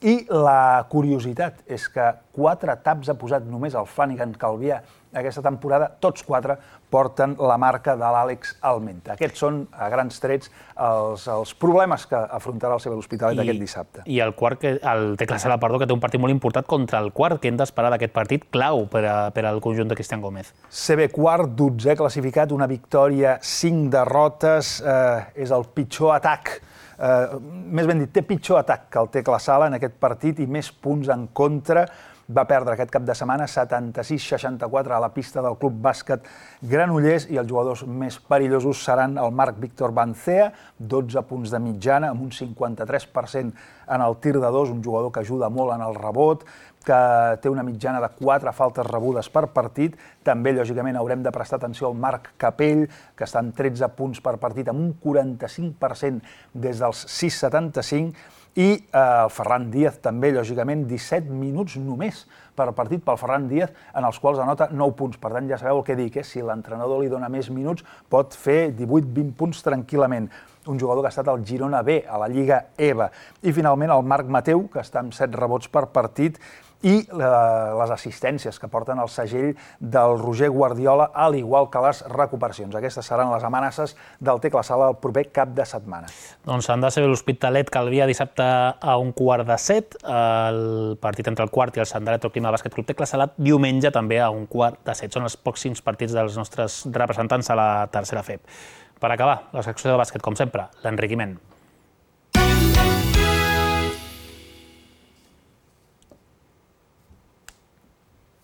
I la curiositat és que quatre taps ha posat només el Flanagan Calvià aquesta temporada, tots quatre porten la marca de l'Àlex Almenta. Aquests són, a grans trets, els, els problemes que afrontarà el C B l'Hospitalet aquest dissabte. I el quart, que, el Tecla Sala, perdó, que té un partit molt important contra el quart, que hem d'esperar d'aquest partit clau per, a, per al conjunt de Cristian Gómez. C B quart, dotzè classificat, una victòria, cinc derrotes, eh, és el pitjor atac. Eh, més ben dit, té pitjor atac que el Tecla Sala en aquest partit i més punts en contra. Va perdre aquest cap de setmana setanta-sis a seixanta-quatre a la pista del Club Bàsquet Granollers i els jugadors més perillosos seran el Marc Víctor Bancea, dotze punts de mitjana, amb un cinquanta-tres per cent en el tir de dos, un jugador que ajuda molt en el rebot, que té una mitjana de quatre faltes rebudes per partit. També, lògicament, haurem de prestar atenció al Marc Capell, que està amb tretze punts per partit, amb un quaranta-cinc per cent des dels sis coma setanta-cinc, i el Ferran Díaz també, lògicament, disset minuts només per partit pel Ferran Díaz, en els quals anota nou punts. Per tant, ja sabeu el que dic, si l'entrenador li dona més minuts pot fer divuit vint punts tranquil·lament. Un jugador que ha estat al Girona B, a la Lliga E V A. I finalment el Marc Mateu, que està amb set rebots per partit, i les assistències que porten el segell del Roger Guardiola, al igual que les recuperacions. Aquestes seran les amenaces del Tecla Sala el proper cap de setmana. Doncs han de ser l'Hospitalet Calvià dissabte a un quart de set, el partit entre el quart i el Sant Electroclima Bàsquet Club Tecla Sala diumenge també a un quart de set. Són els pròxims partits dels nostres representants a la tercera F E B. Per acabar, la secció de bàsquet, com sempre, l'enriquiment.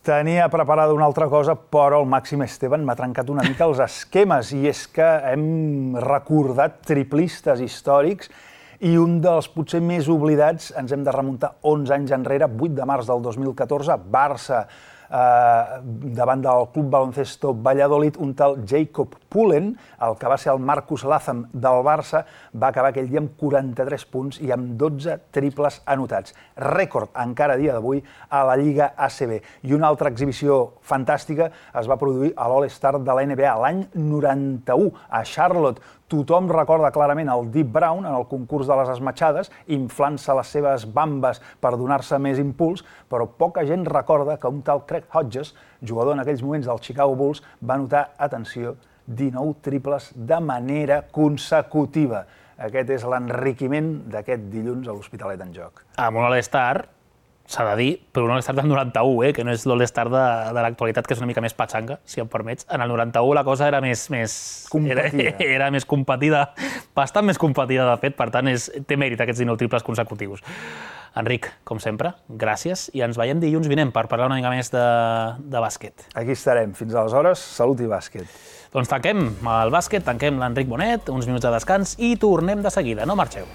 Tenia preparada una altra cosa, però el Màxim Esteban m'ha trencat una mica els esquemes, i és que hem recordat triplistes històrics i un dels potser més oblidats, ens hem de remuntar onze anys enrere, vuit de març del dos mil catorze, Barça, davant del Club Baloncesto Valladolid, un tal Jacob Pullen, el que va ser el Marcus Latham del Barça, va acabar aquell dia amb quaranta-tres punts i amb dotze triples anotats. Rècord encara a dia d'avui a la Lliga A C B. I una altra exhibició fantàstica es va produir a l'All-Star de la N B A l'any noranta-u a Charlotte. Tothom recorda clarament el Deep Brown en el concurs de les esmatxades, inflant-se les seves bambes per donar-se més impuls, però poca gent recorda que un tal Craig Hodges, jugador en aquells moments del Chicago Bulls, va anotar, atenció, dinou triples de manera consecutiva. Aquest és l'enriquiment d'aquest dilluns a l'Hospitalet en Joc. Amb un All-Star, s'ha de dir, però un All-Star del noranta-u, eh, que no és l'All-Star de, de l'actualitat, que és una mica més patxanga, si em permets. En el noranta-u la cosa era més... més competida. Era, era més competida, bastant més competida, de fet, per tant, és, té mèrit aquests dinou triples consecutius. Enric, com sempre, gràcies, i ens veiem dilluns vinent per parlar una mica més de, de bàsquet. Aquí estarem. Fins aleshores, salut i bàsquet. Doncs tanquem el bàsquet, tanquem l'Enric Bonet, uns minuts de descans i tornem de seguida. No marxeu.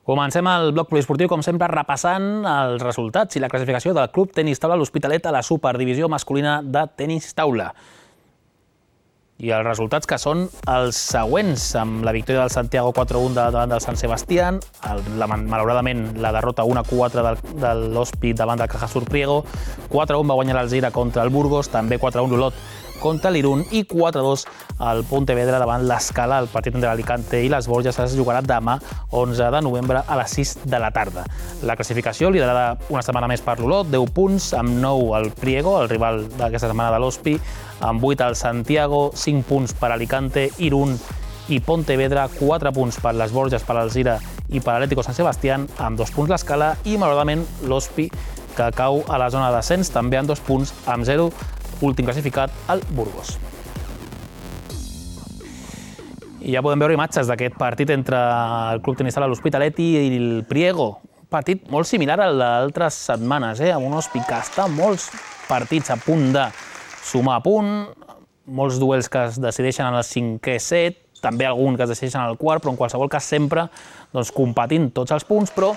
Comencem el bloc poliesportiu, com sempre, repassant els resultats i la classificació del Club Tenis Taula l'Hospitalet a la Superdivisió masculina de tenis taula. I els resultats que són els següents, amb la victòria del Santiago quatre a un davant del Sant Sebastián, malauradament la derrota un a quatre de l'Hospi davant del Cajasur Priego, quatre a un va guanyar l'Alzira contra el Burgos, també quatre a un l'Olot contra l'Irún i quatre a dos al Pontevedra davant l'Escala. El partit entre l'Alicante i les Borges es jugarà demà, onze de novembre, a les sis de la tarda. La classificació liderada una setmana més per l'Olot, deu punts, amb nou al Priego, el rival d'aquesta setmana de l'Hospi, amb vuit al Santiago, cinc punts per Alicante, Irún i Pontevedra, quatre punts per les Borges, per l'Alzira i per l'Atlético Sant Sebastián, amb dos punts l'Escala i, malauradament, l'Hospi, que cau a la zona de descens, també amb dos punts, amb zero, últim classificat, el Burgos. I ja podem veure imatges d'aquest partit entre el Club Tenis Taula l'Hospitalet i el Priego. Un partit molt similar al d'altres setmanes, eh? amb un Hospi que està molts partits a punt de sumar a punt, molts duels que es decideixen en el cinquè set, també algun que es decideixen al quart, però en qualsevol cas sempre doncs, competint tots els punts, però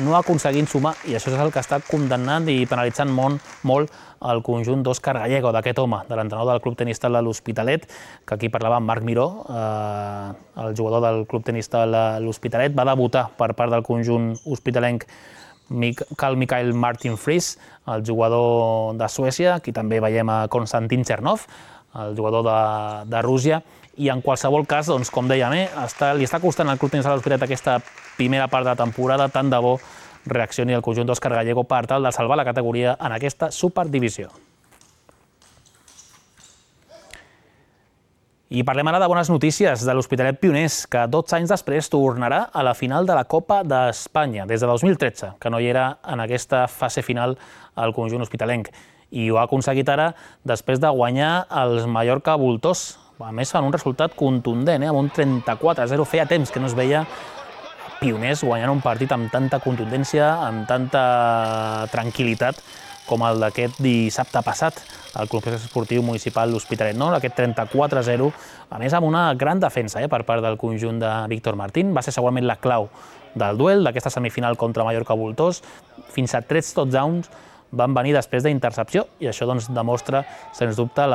no aconseguint sumar, i això és el que està condemnant i penalitzant molt, molt el conjunt d'Òscar Gallego, d'aquest home, de l'entrenador del Club Tenis Taula l'Hospitalet, que aquí parlava amb Marc Miró, eh, el jugador del Club Tenis Taula l'Hospitalet, va debutar per part del conjunt hospitalenc Carl Michael Martin Fries, el jugador de Suècia, aquí també veiem a Konstantin Chernov, el jugador de, de Rússia, i en qualsevol cas, doncs, com dèiem, eh, està, li està costant al Club Tenis Taula l'Hospitalet aquesta primera part de la temporada, tant de bo reaccioni el conjunt d'Òscar Gallego per tal de salvar la categoria en aquesta superdivisió. I parlem ara de bones notícies de l'Hospitalet Pioners, que dotze anys després tornarà a la final de la Copa d'Espanya, des de dos mil tretze, que no hi era en aquesta fase final al conjunt hospitalenc. I ho ha aconseguit ara després de guanyar els Mallorca Voltors. A més, fan un resultat contundent, eh? amb un trenta-quatre a zero. Feia temps que no es veia Pioners guanyant un partit amb tanta contundència, amb tanta tranquil·litat com el d'aquest dissabte passat al Complex Esportiu Municipal L'Hospitalet, no? Aquest trenta-quatre a zero, a més amb una gran defensa per part del conjunt de Víctor Martín. Va ser segurament la clau del duel, d'aquesta semifinal contra Mallorca-Voltors. Fins a tres touchdowns van venir després d'intercepció i això demostra, sens dubte,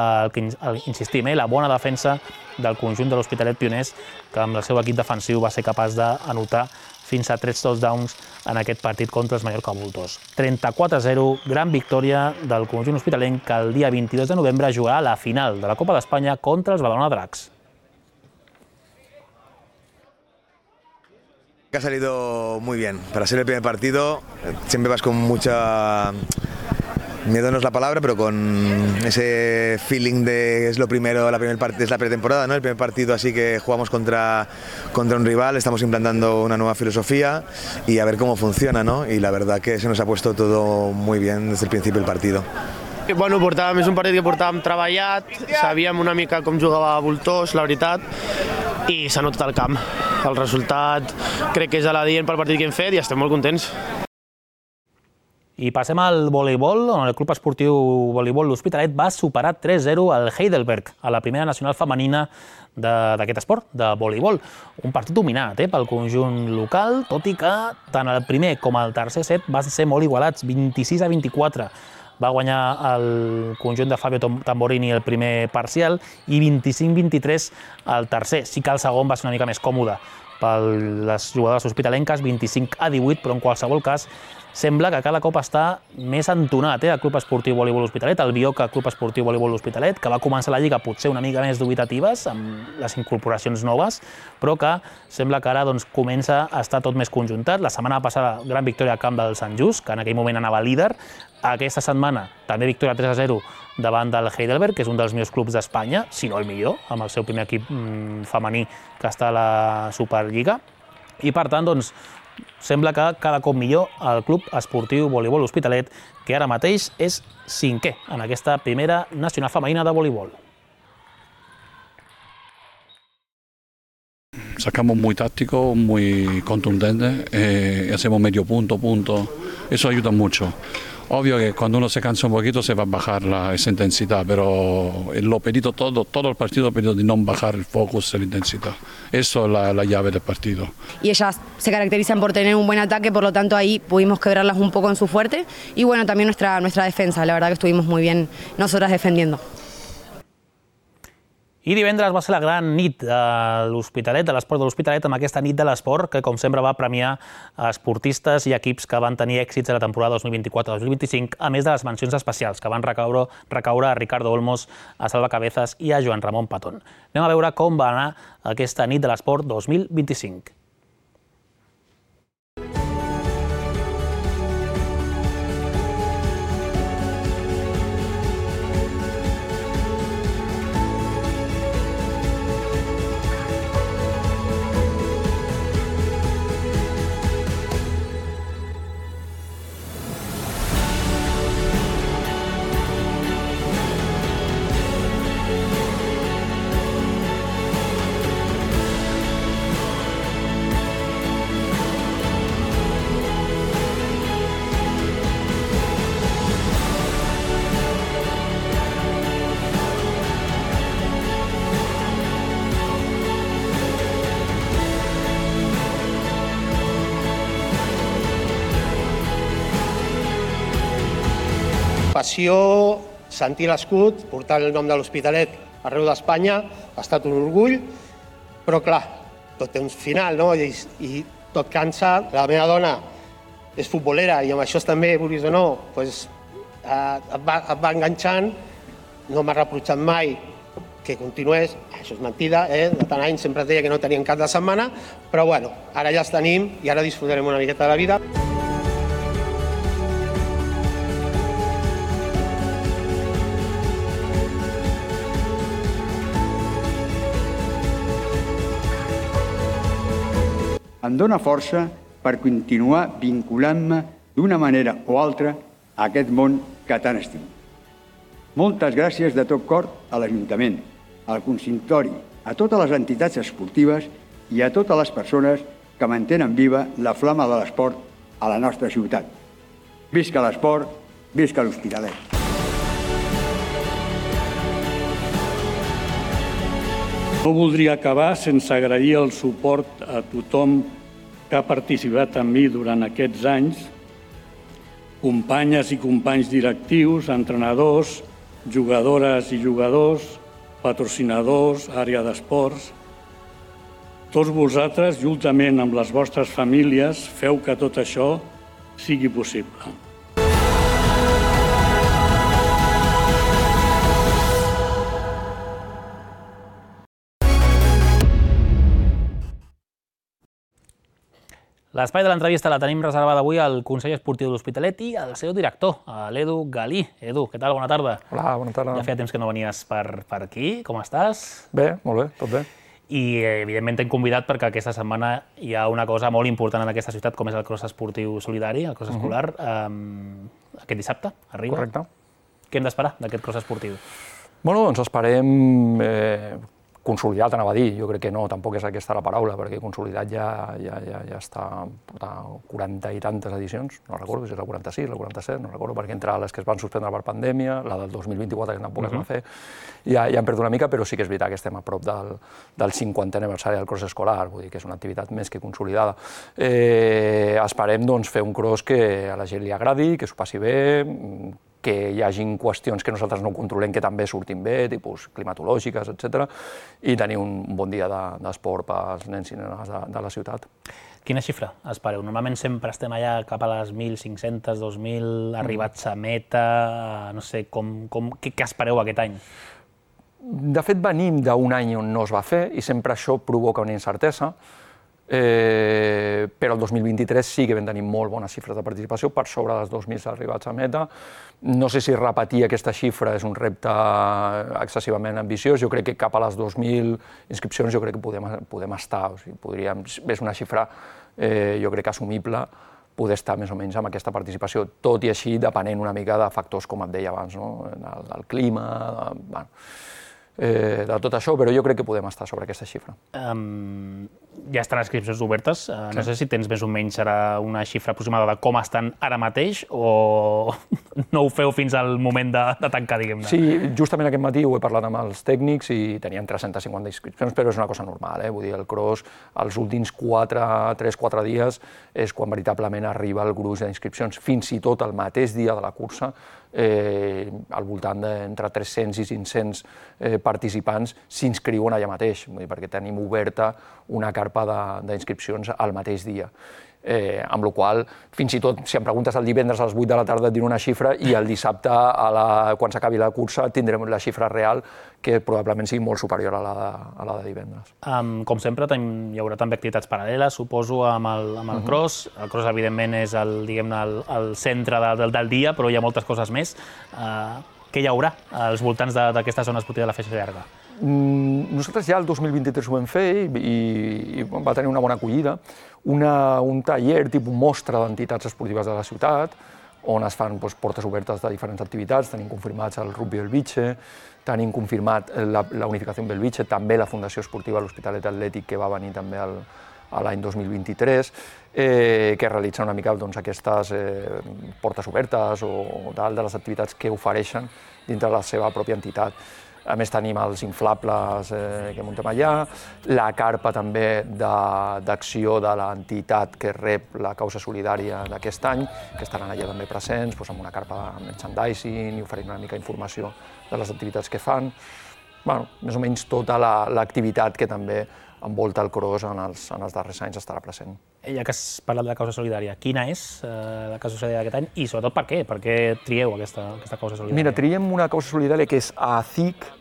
insistim, la bona defensa del conjunt de l'Hospitalet Pioners, que amb el seu equip defensiu va ser capaç d'anotar fins a tres touchdowns en aquest partit contra els Mallorca-Voltors. trenta-quatre a zero, gran victòria del conjunt hospitalenc, que el dia vint-i-dos de novembre jugarà la final de la Copa d'Espanya contra els Badalona Dracs. Ha salido muy bien. Para ser el primer partido siempre vas con mucha... Miedo no es la palabra, pero con ese feeling de es lo primero, la primer part... es la pretemporada, ¿no? El primer partido, así que jugamos contra, contra un rival, estamos implantando una nueva filosofía y a ver cómo funciona, ¿no? Y la verdad que se nos ha puesto todo muy bien desde el principio del partido. Bueno, portàvem, és un partit que portàvem treballat, sabíem una mica com jugava Voltors, la veritat, i s'ha notat al camp. El resultat crec que és aladient pel partit que hem fet i estem molt contents. I passem al voleibol, on el Club Esportiu Voleibol L'Hospitalet va superar tres zero al Heidelberg, a la primera nacional femenina d'aquest esport, de voleibol. Un partit dominat pel conjunt local, tot i que tant el primer com el tercer set van ser molt igualats, vint-i-sis a vint-i-quatre. Va guanyar el conjunt de Fabio Tamborini el primer parcial i vint-i-cinc a vint-i-tres el tercer. Sí que el segon va ser una mica més còmode per les jugadores hospitalenques, vint-i-cinc a divuit, però en qualsevol cas sembla que cada cop està més entonat el Club Esportiu Voleibol L'Hospitalet, el Bioca Club Esportiu Voleibol L'Hospitalet, que va començar la lliga potser una mica més dubitatives amb les incorporacions noves, però que sembla que ara comença a estar tot més conjuntat. La setmana passada, gran victòria al camp del Sant Just, que en aquell moment anava líder. Aquesta setmana també victòria tres a zero davant del Heidelberg, que és un dels millors clubs d'Espanya, si no el millor, amb el seu primer equip femení que està a la Superliga. I per tant, doncs, sembla que cada cop millor el Club Esportiu Voleibol L'Hospitalet, que ara mateix és cinquè en aquesta primera nacional femenina de voleibol. Sacamos muy táctico, muy contundente, eh, hacemos medio punto, punto, eso ayuda mucho. Obvio que cuando uno se cansa un poquito se va a bajar la, esa intensidad, pero lo pedido todo, todo el partido ha pedido de no bajar el focus, la intensidad. Eso es la, la llave del partido. Y ellas se caracterizan por tener un buen ataque, por lo tanto ahí pudimos quebrarlas un poco en su fuerte. Y bueno, también nuestra, nuestra defensa, la verdad que estuvimos muy bien nosotras defendiendo. I divendres va ser la gran nit de l'Hospitalet, de l'esport de l'Hospitalet, amb aquesta nit de l'esport que, com sempre, va premiar esportistes i equips que van tenir èxits a la temporada dos mil vint-i-quatre dos mil vint-i-cinc, a més de les mencions especials que van recaure, recaure a Ricardo Olmos, a Salva Cabezas i a Joan Ramon Patón. Anem a veure com va anar aquesta nit de l'esport dos mil vint-i-cinc. Passió, sentir l'escut, portar el nom de l'Hospitalet arreu d'Espanya, ha estat un orgull, però clar, tot té un final, no? I, i tot cansa. La meva dona és futbolera i amb això també, vulguis o no, pues, eh, et, va, et va enganxant, no m'ha reprotxat mai que continués, això és mentida, eh? De tant any sempre deia que no tenien cap de setmana, però bueno, ara ja els tenim i ara disfrutarem una miqueta de la vida. Em dóna força per continuar vinculant-me d'una manera o altra a aquest món que tant estimo. Moltes gràcies de tot cor a l'Ajuntament, al consistori, a totes les entitats esportives i a totes les persones que mantenen viva la flama de l'esport a la nostra ciutat. Visca l'esport Visca l'Hospitalet! No voldria acabar sense agrair el suport a tothom que ha participat amb mi durant aquests anys, companyes i companys directius, entrenadors, jugadores i jugadors, patrocinadors, àrea d'esports. Tots vosaltres, juntament amb les vostres famílies, feu que tot això sigui possible. L'espai de l'entrevista la tenim reservada avui al Consell Esportiu de l'Hospitalet i al seu director, l'Edu Galí. Edu, què tal? Bona tarda. Hola, bona tarda. Ja feia temps que no venies per, per aquí. Com estàs? Bé, molt bé, tot bé. I, evidentment, t'hem convidat perquè aquesta setmana hi ha una cosa molt important en aquesta ciutat, com és el cross esportiu solidari, el cross escolar. Uh-huh. um, aquest dissabte arriba. Correcte. Què hem d'esperar d'aquest cross esportiu? Bueno, doncs esperem eh, consolidat, anava a dir. Jo crec que no, tampoc és aquesta la paraula, perquè consolidat ja, ja, ja, ja està a quaranta i tantes edicions, no recordo si és la quaranta-sis, la quaranta-set, no recordo, perquè entre les que es van suspendre per pandèmia, la del dos mil vint-i-quatre, que tampoc uh-huh. es va fer, ja, ja hem perdut una mica, però sí que és veritat que estem a prop del, del cinquantè aniversari del cross escolar, vull dir que és una activitat més que consolidada. Eh, esperem doncs, fer un cross que a la gent li agradi, que s'ho passi bé, que hi hagin qüestions que nosaltres no controlem que també surtin bé, tipus climatològiques, etcètera, i tenir un bon dia d'esport pels nens i nenes de, de la ciutat. Quina xifra espereu? Normalment sempre estem allà cap a les mil cinc-cents, dos mil, arribats a meta, no sé, com, com, què, què espereu aquest any? De fet, venim d'un any on no es va fer i sempre això provoca una incertesa. Eh, però el dos mil vint-i-tres sí que vam tenir molt bones xifres de participació, per sobre dels dos mil arribats a meta. No sé si repetir aquesta xifra és un repte excessivament ambiciós, jo crec que cap a les dos mil inscripcions jo crec que podem, podem estar, o sigui, podríem, és una xifra eh, jo crec assumible poder estar més o menys amb aquesta participació, tot i així depenent una mica de factors com et deia abans, no? del, del clima, de, bueno, Eh, de tot això, però jo crec que podem estar sobre aquesta xifra. Um, ja estan inscripcions obertes, uh, no sí. sé si tens més o menys serà una xifra aproximada de com estan ara mateix o no ho feu fins al moment de, de tancar, diguem-ne? Sí, justament aquest matí ho he parlat amb els tècnics i teníem tres-centes cinquanta inscripcions, però és una cosa normal, eh? Vull dir, el cross, els últims tres quatre dies és quan veritablement arriba el gruix d'inscripcions, fins i tot el mateix dia de la cursa, eh, al voltant d'entre tres-cents i cinc-cents eh, participants s'inscriuen allà mateix, vull dir, perquè tenim oberta una carpa d'inscripcions al mateix dia. Eh, amb la qual cosa, fins i tot, si em preguntes el divendres a les vuit de la tarda et diré una xifra i el dissabte, a la, quan s'acabi la cursa, tindrem la xifra real que probablement sigui molt superior a la de, a la de divendres. Um, com sempre, hi haurà també activitats paral·leles, suposo, amb el, amb el uh-huh. cross. El cross, evidentment, és el, diguem-ne, el, el centre de, del, del dia, però hi ha moltes coses més. Uh, què hi haurà als voltants d'aquesta zona esportiva de la Festa Llarga? Mm, nosaltres ja el dos mil vint-i-tres ho vam fer i, i, i va tenir una bona acollida. Una, un taller tipus mostra d'entitats esportives de la ciutat, on es fan doncs, portes obertes de diferents activitats. Tenim confirmats el Rugby Belvitge, tenim confirmat la, la Unificació Belvitge, també la Fundació Esportiva de l'Hospitalet Atlètic, que va venir també el, a l'any dos mil vint-i-tres, eh, que realitza una mica doncs, aquestes eh, portes obertes o tal, de les activitats que ofereixen dintre de la seva pròpia entitat. A més, tenim els inflables eh, que muntem allà, la carpa també d'acció de, de l'entitat que rep la causa solidària d'aquest any, que estaran allà també presents, doncs, amb una carpa de merchandising i oferint una mica informació de les activitats que fan. Bueno, més o menys tota l'activitat la, que també envolta el cross en els, en els darrers anys estarà present. Ja que has parlat de la causa solidària, quina és eh, la causa solidària d'aquest any i sobretot per què? Per què trieu aquesta, aquesta causa solidària? Mira, triem una causa solidària que és A C I C,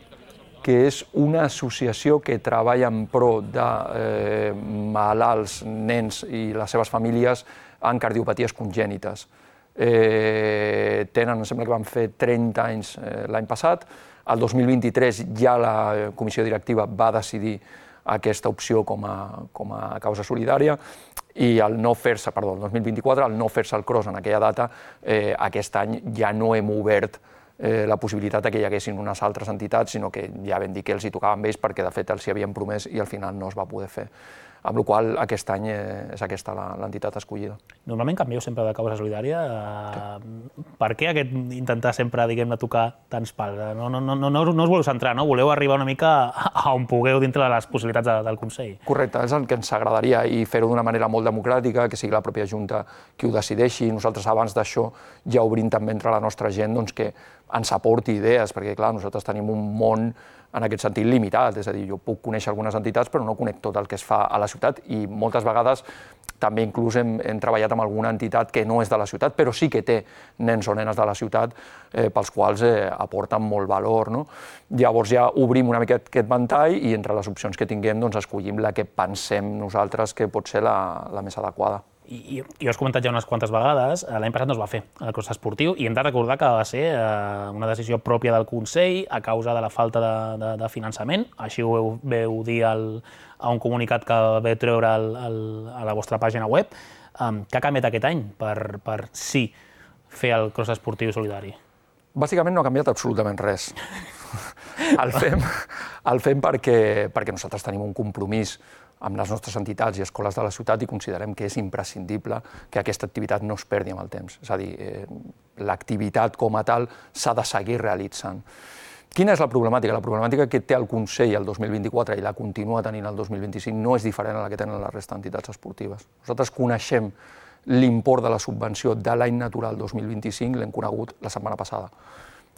que és una associació que treballa en pro de eh, malalts, nens i les seves famílies en cardiopaties congènites. Eh, tenen, em sembla que van fer trenta anys eh, l'any passat. El dos mil vint-i-tres ja la comissió directiva va decidir aquesta opció com a, com a causa solidària i el no fer-se, perdó, el dos mil vint-i-quatre, el no fer-se el cross en aquella data, eh, aquest any ja no hem obert eh, la possibilitat que hi haguessin unes altres entitats, sinó que ja vam dir que els hi tocava amb ells perquè de fet els hi havien promès i al final no es va poder fer. amb la qual cosa aquest any és aquesta l'entitat escollida. Normalment canvieu sempre de causa solidària. Per què aquest intentar sempre, diguem-ne, tocar tants pals? No, no, no, no, no us voleu centrar, no? Voleu arribar una mica a on pugueu dintre de les possibilitats de, del Consell. Correcte, és el que ens agradaria i fer-ho d'una manera molt democràtica, que sigui la pròpia Junta qui ho decideixi. Nosaltres abans d'això ja obrim també entre la nostra gent doncs, que ens aporti idees, perquè clar, nosaltres tenim un món en aquest sentit limitat, és a dir, jo puc conèixer algunes entitats però no conec tot el que es fa a la ciutat i moltes vegades també inclús hem, hem treballat amb alguna entitat que no és de la ciutat però sí que té nens o nenes de la ciutat eh, pels quals eh, aporten molt valor. No? Llavors ja obrim una mica aquest ventall i entre les opcions que tinguem doncs, escollim la que pensem nosaltres que pot ser la, la més adequada. I, i, i ho has comentat ja unes quantes vegades, l'any passat no es va fer el cross esportiu i hem de recordar que va ser eh, una decisió pròpia del Consell a causa de la falta de, de, de finançament, així ho veu dir el, a un comunicat que vau treure el, el, a la vostra pàgina web. Um, què ha canviat aquest any per, per sí fer el cross esportiu solidari? Bàsicament no ha canviat absolutament res. El fem, el fem perquè, perquè nosaltres tenim un compromís amb les nostres entitats i escoles de la ciutat i considerem que és imprescindible que aquesta activitat no es perdi amb el temps. És a dir, eh, l'activitat com a tal s'ha de seguir realitzant. Quina és la problemàtica? La problemàtica que té el Consell el dos mil vint-i-quatre i la continua tenint el dos mil vint-i-cinc no és diferent a la que tenen la resta d'entitats esportives. Nosaltres coneixem l'import de la subvenció de l'any natural dos mil vint-i-cinc, l'hem conegut la setmana passada.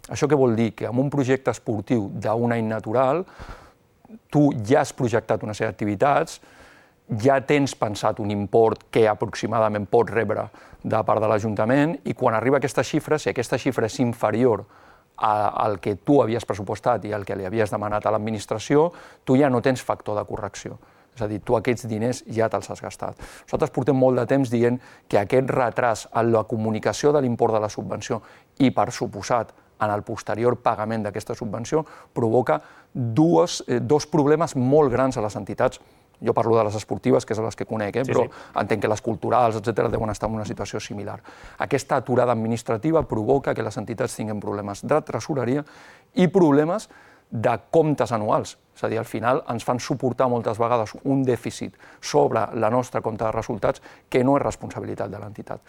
Això què vol dir? Que amb un projecte esportiu d'un any natural tu ja has projectat una sèrie d'activitats, ja tens pensat un import que aproximadament pots rebre de part de l'Ajuntament i quan arriba aquesta xifra, si aquesta xifra és inferior al que tu havies pressupostat i al que li havies demanat a l'administració, tu ja no tens factor de correcció. És a dir, tu aquests diners ja te'ls has gastat. Nosaltres portem molt de temps dient que aquest retras en la comunicació de l'import de la subvenció i, per suposat, en el posterior pagament d'aquesta subvenció, provoca dues, eh, dos problemes molt grans a les entitats. Jo parlo de les esportives, que és les que conec, eh? sí, però sí. entenc que les culturals, etcètera, deuen estar en una situació similar. Aquesta aturada administrativa provoca que les entitats tinguin problemes de tresoreria i problemes de comptes anuals. És a dir, al final ens fan suportar moltes vegades un dèficit sobre la nostra compte de resultats que no és responsabilitat de l'entitat.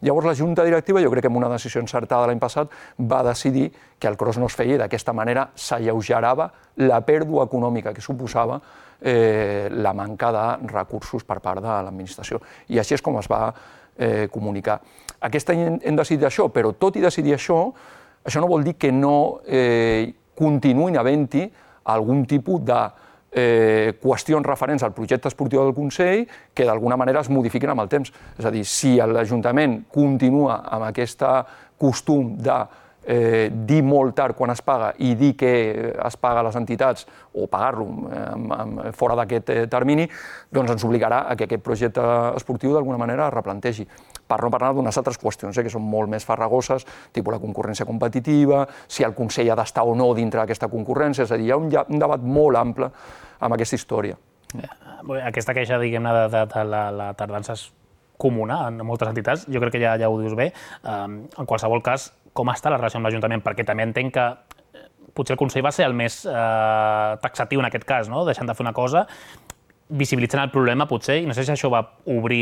Llavors la Junta Directiva, jo crec que amb una decisió encertada l'any passat, va decidir que el cross no es feia i d'aquesta manera s'alleugerava la pèrdua econòmica que suposava eh, la manca de recursos per part de l'administració. I així és com es va eh, comunicar. Aquest any hem decidit això, però tot i decidir això, això no vol dir que no eh, continuïn havent-hi algun tipus de eh, qüestions referents al projecte esportiu del Consell que d'alguna manera es modifiquin amb el temps. És a dir, si l'Ajuntament continua amb aquest costum de eh, dir molt tard quan es paga i dir que es paga a les entitats o pagar-lo eh, fora d'aquest eh, termini, doncs ens obligarà a que aquest projecte esportiu d'alguna manera es replantegi. Per no parlar d'unes altres qüestions eh, que són molt més farragoses, tipus la concurrència competitiva, si el Consell ha d'estar o no dintre d'aquesta concurrència, és a dir, hi ha un, un debat molt ample amb aquesta història. Aquesta queixa, diguem-ne, de, de, de la, la tardança és comuna en moltes entitats, jo crec que ja, ja ho dius bé. Um, en qualsevol cas, com està la relació amb l'Ajuntament? Perquè també entenc que potser el Consell va ser el més eh, taxatiu en aquest cas, no? Deixant de fer una cosa, visibilitzant el problema potser, i no sé si això va obrir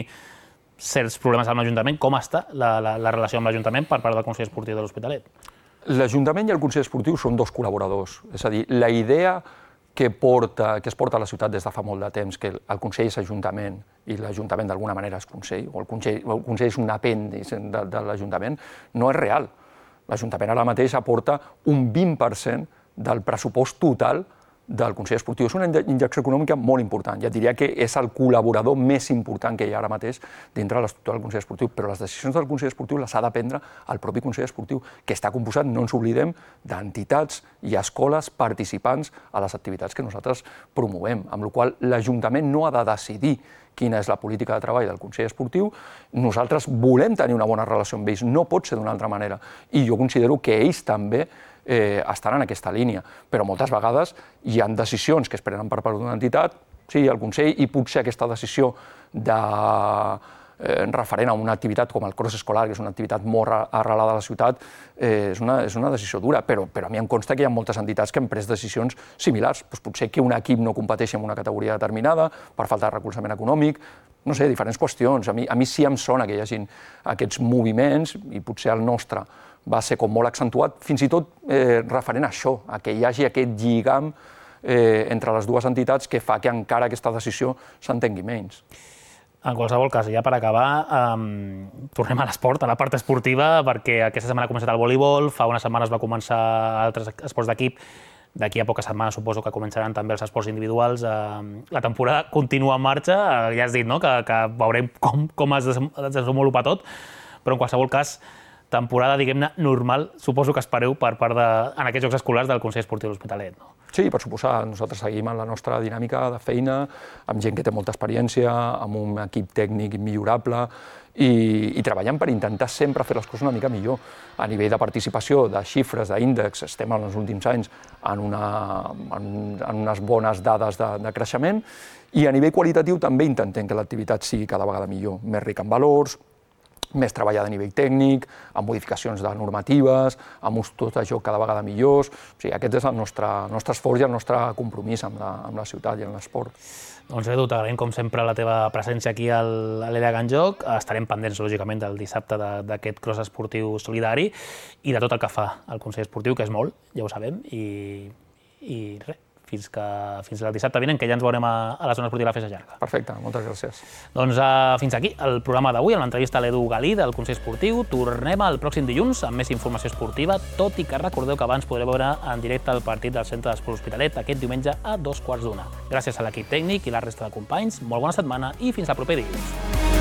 certs problemes amb l'Ajuntament. Com està la, la, la relació amb l'Ajuntament per part del Consell Esportiu de l'Hospitalet? L'Ajuntament i el Consell Esportiu són dos col·laboradors. És a dir, la idea que, porta, que es porta a la ciutat des de fa molt de temps, que el Consell és Ajuntament i l'Ajuntament d'alguna manera és Consell, o el Consell, el Consell és un apèndix de, de l'Ajuntament, no és real. L'Ajuntament ara mateix aporta un vint per cent del pressupost total del Consell Esportiu. És una injecció econòmica molt important. Ja et diria que és el col·laborador més important que hi ha ara mateix dintre de l'estructura del Consell Esportiu, però les decisions del Consell Esportiu les ha de prendre el propi Consell Esportiu, que està composat, no ens oblidem, d'entitats i escoles participants a les activitats que nosaltres promovem, amb la qual cosa l'Ajuntament no ha de decidir quina és la política de treball del Consell Esportiu. Nosaltres volem tenir una bona relació amb ells, no pot ser d'una altra manera. I jo considero que ells també eh, estan en aquesta línia, però moltes vegades hi ha decisions que es prenen per part d'una entitat, sí, el Consell, i potser aquesta decisió de referent a una activitat com el cross escolar, que és una activitat molt arrelada a la ciutat, és una decisió dura, però a mi em consta que hi ha moltes entitats que han pres decisions similars. Potser que un equip no competeixi en una categoria determinada per falta de recolzament econòmic, no sé, diferents qüestions. A mi sí em sona que hi hagi aquests moviments, i potser el nostre va ser com molt accentuat, fins i tot referent a això, a que hi hagi aquest lligam entre les dues entitats que fa que encara aquesta decisió s'entengui menys. En qualsevol cas, ja per acabar, tornem a l'esport, a la part esportiva, perquè aquesta setmana ha començat el voleibol, fa unes setmanes va començar altres esports d'equip, d'aquí a poques setmanes suposo que començaran també els esports individuals. La temporada continua en marxa, ja has dit que veurem com es desenvolupa tot, però en qualsevol cas, temporada, diguem-ne, normal, suposo que espereu per part de, en aquests jocs escolars del Consell Esportiu de l'Hospitalet, no? Sí, per suposar. Nosaltres seguim en la nostra dinàmica de feina, amb gent que té molta experiència, amb un equip tècnic immillorable i treballant per intentar sempre fer les coses una mica millor. A nivell de participació, de xifres, d'índex, estem en els últims anys en unes bones dades de creixement i a nivell qualitatiu també intentem que l'activitat sigui cada vegada millor, més rica en valors, més treballada a nivell tècnic, amb modificacions de normatives, amb ús tot això cada vegada millors. O sigui, aquest és el nostre esforç i el nostre compromís amb la ciutat i amb l'esport. Doncs Edu, t'agraïm com sempre la teva presència aquí a l'E L A Can Joc. Estarem pendents, lògicament, del dissabte d'aquest cross esportiu solidari i de tot el que fa el Consell Esportiu, que és molt, ja ho sabem, i res. Fins al dissabte vinent, que ja ens veurem a la zona esportiva de la Festa Llarga. Perfecte, moltes gràcies. Doncs fins aquí el programa d'avui, amb l'entrevista a l'Edu Galí del Consell Esportiu. Tornem el pròxim dilluns amb més informació esportiva, tot i que recordeu que abans podreu veure en directe el partit del Centre d'Esport Hospitalet aquest diumenge a dos quarts d'una. Gràcies a l'equip tècnic i la resta de companys, molt bona setmana i fins al proper dilluns.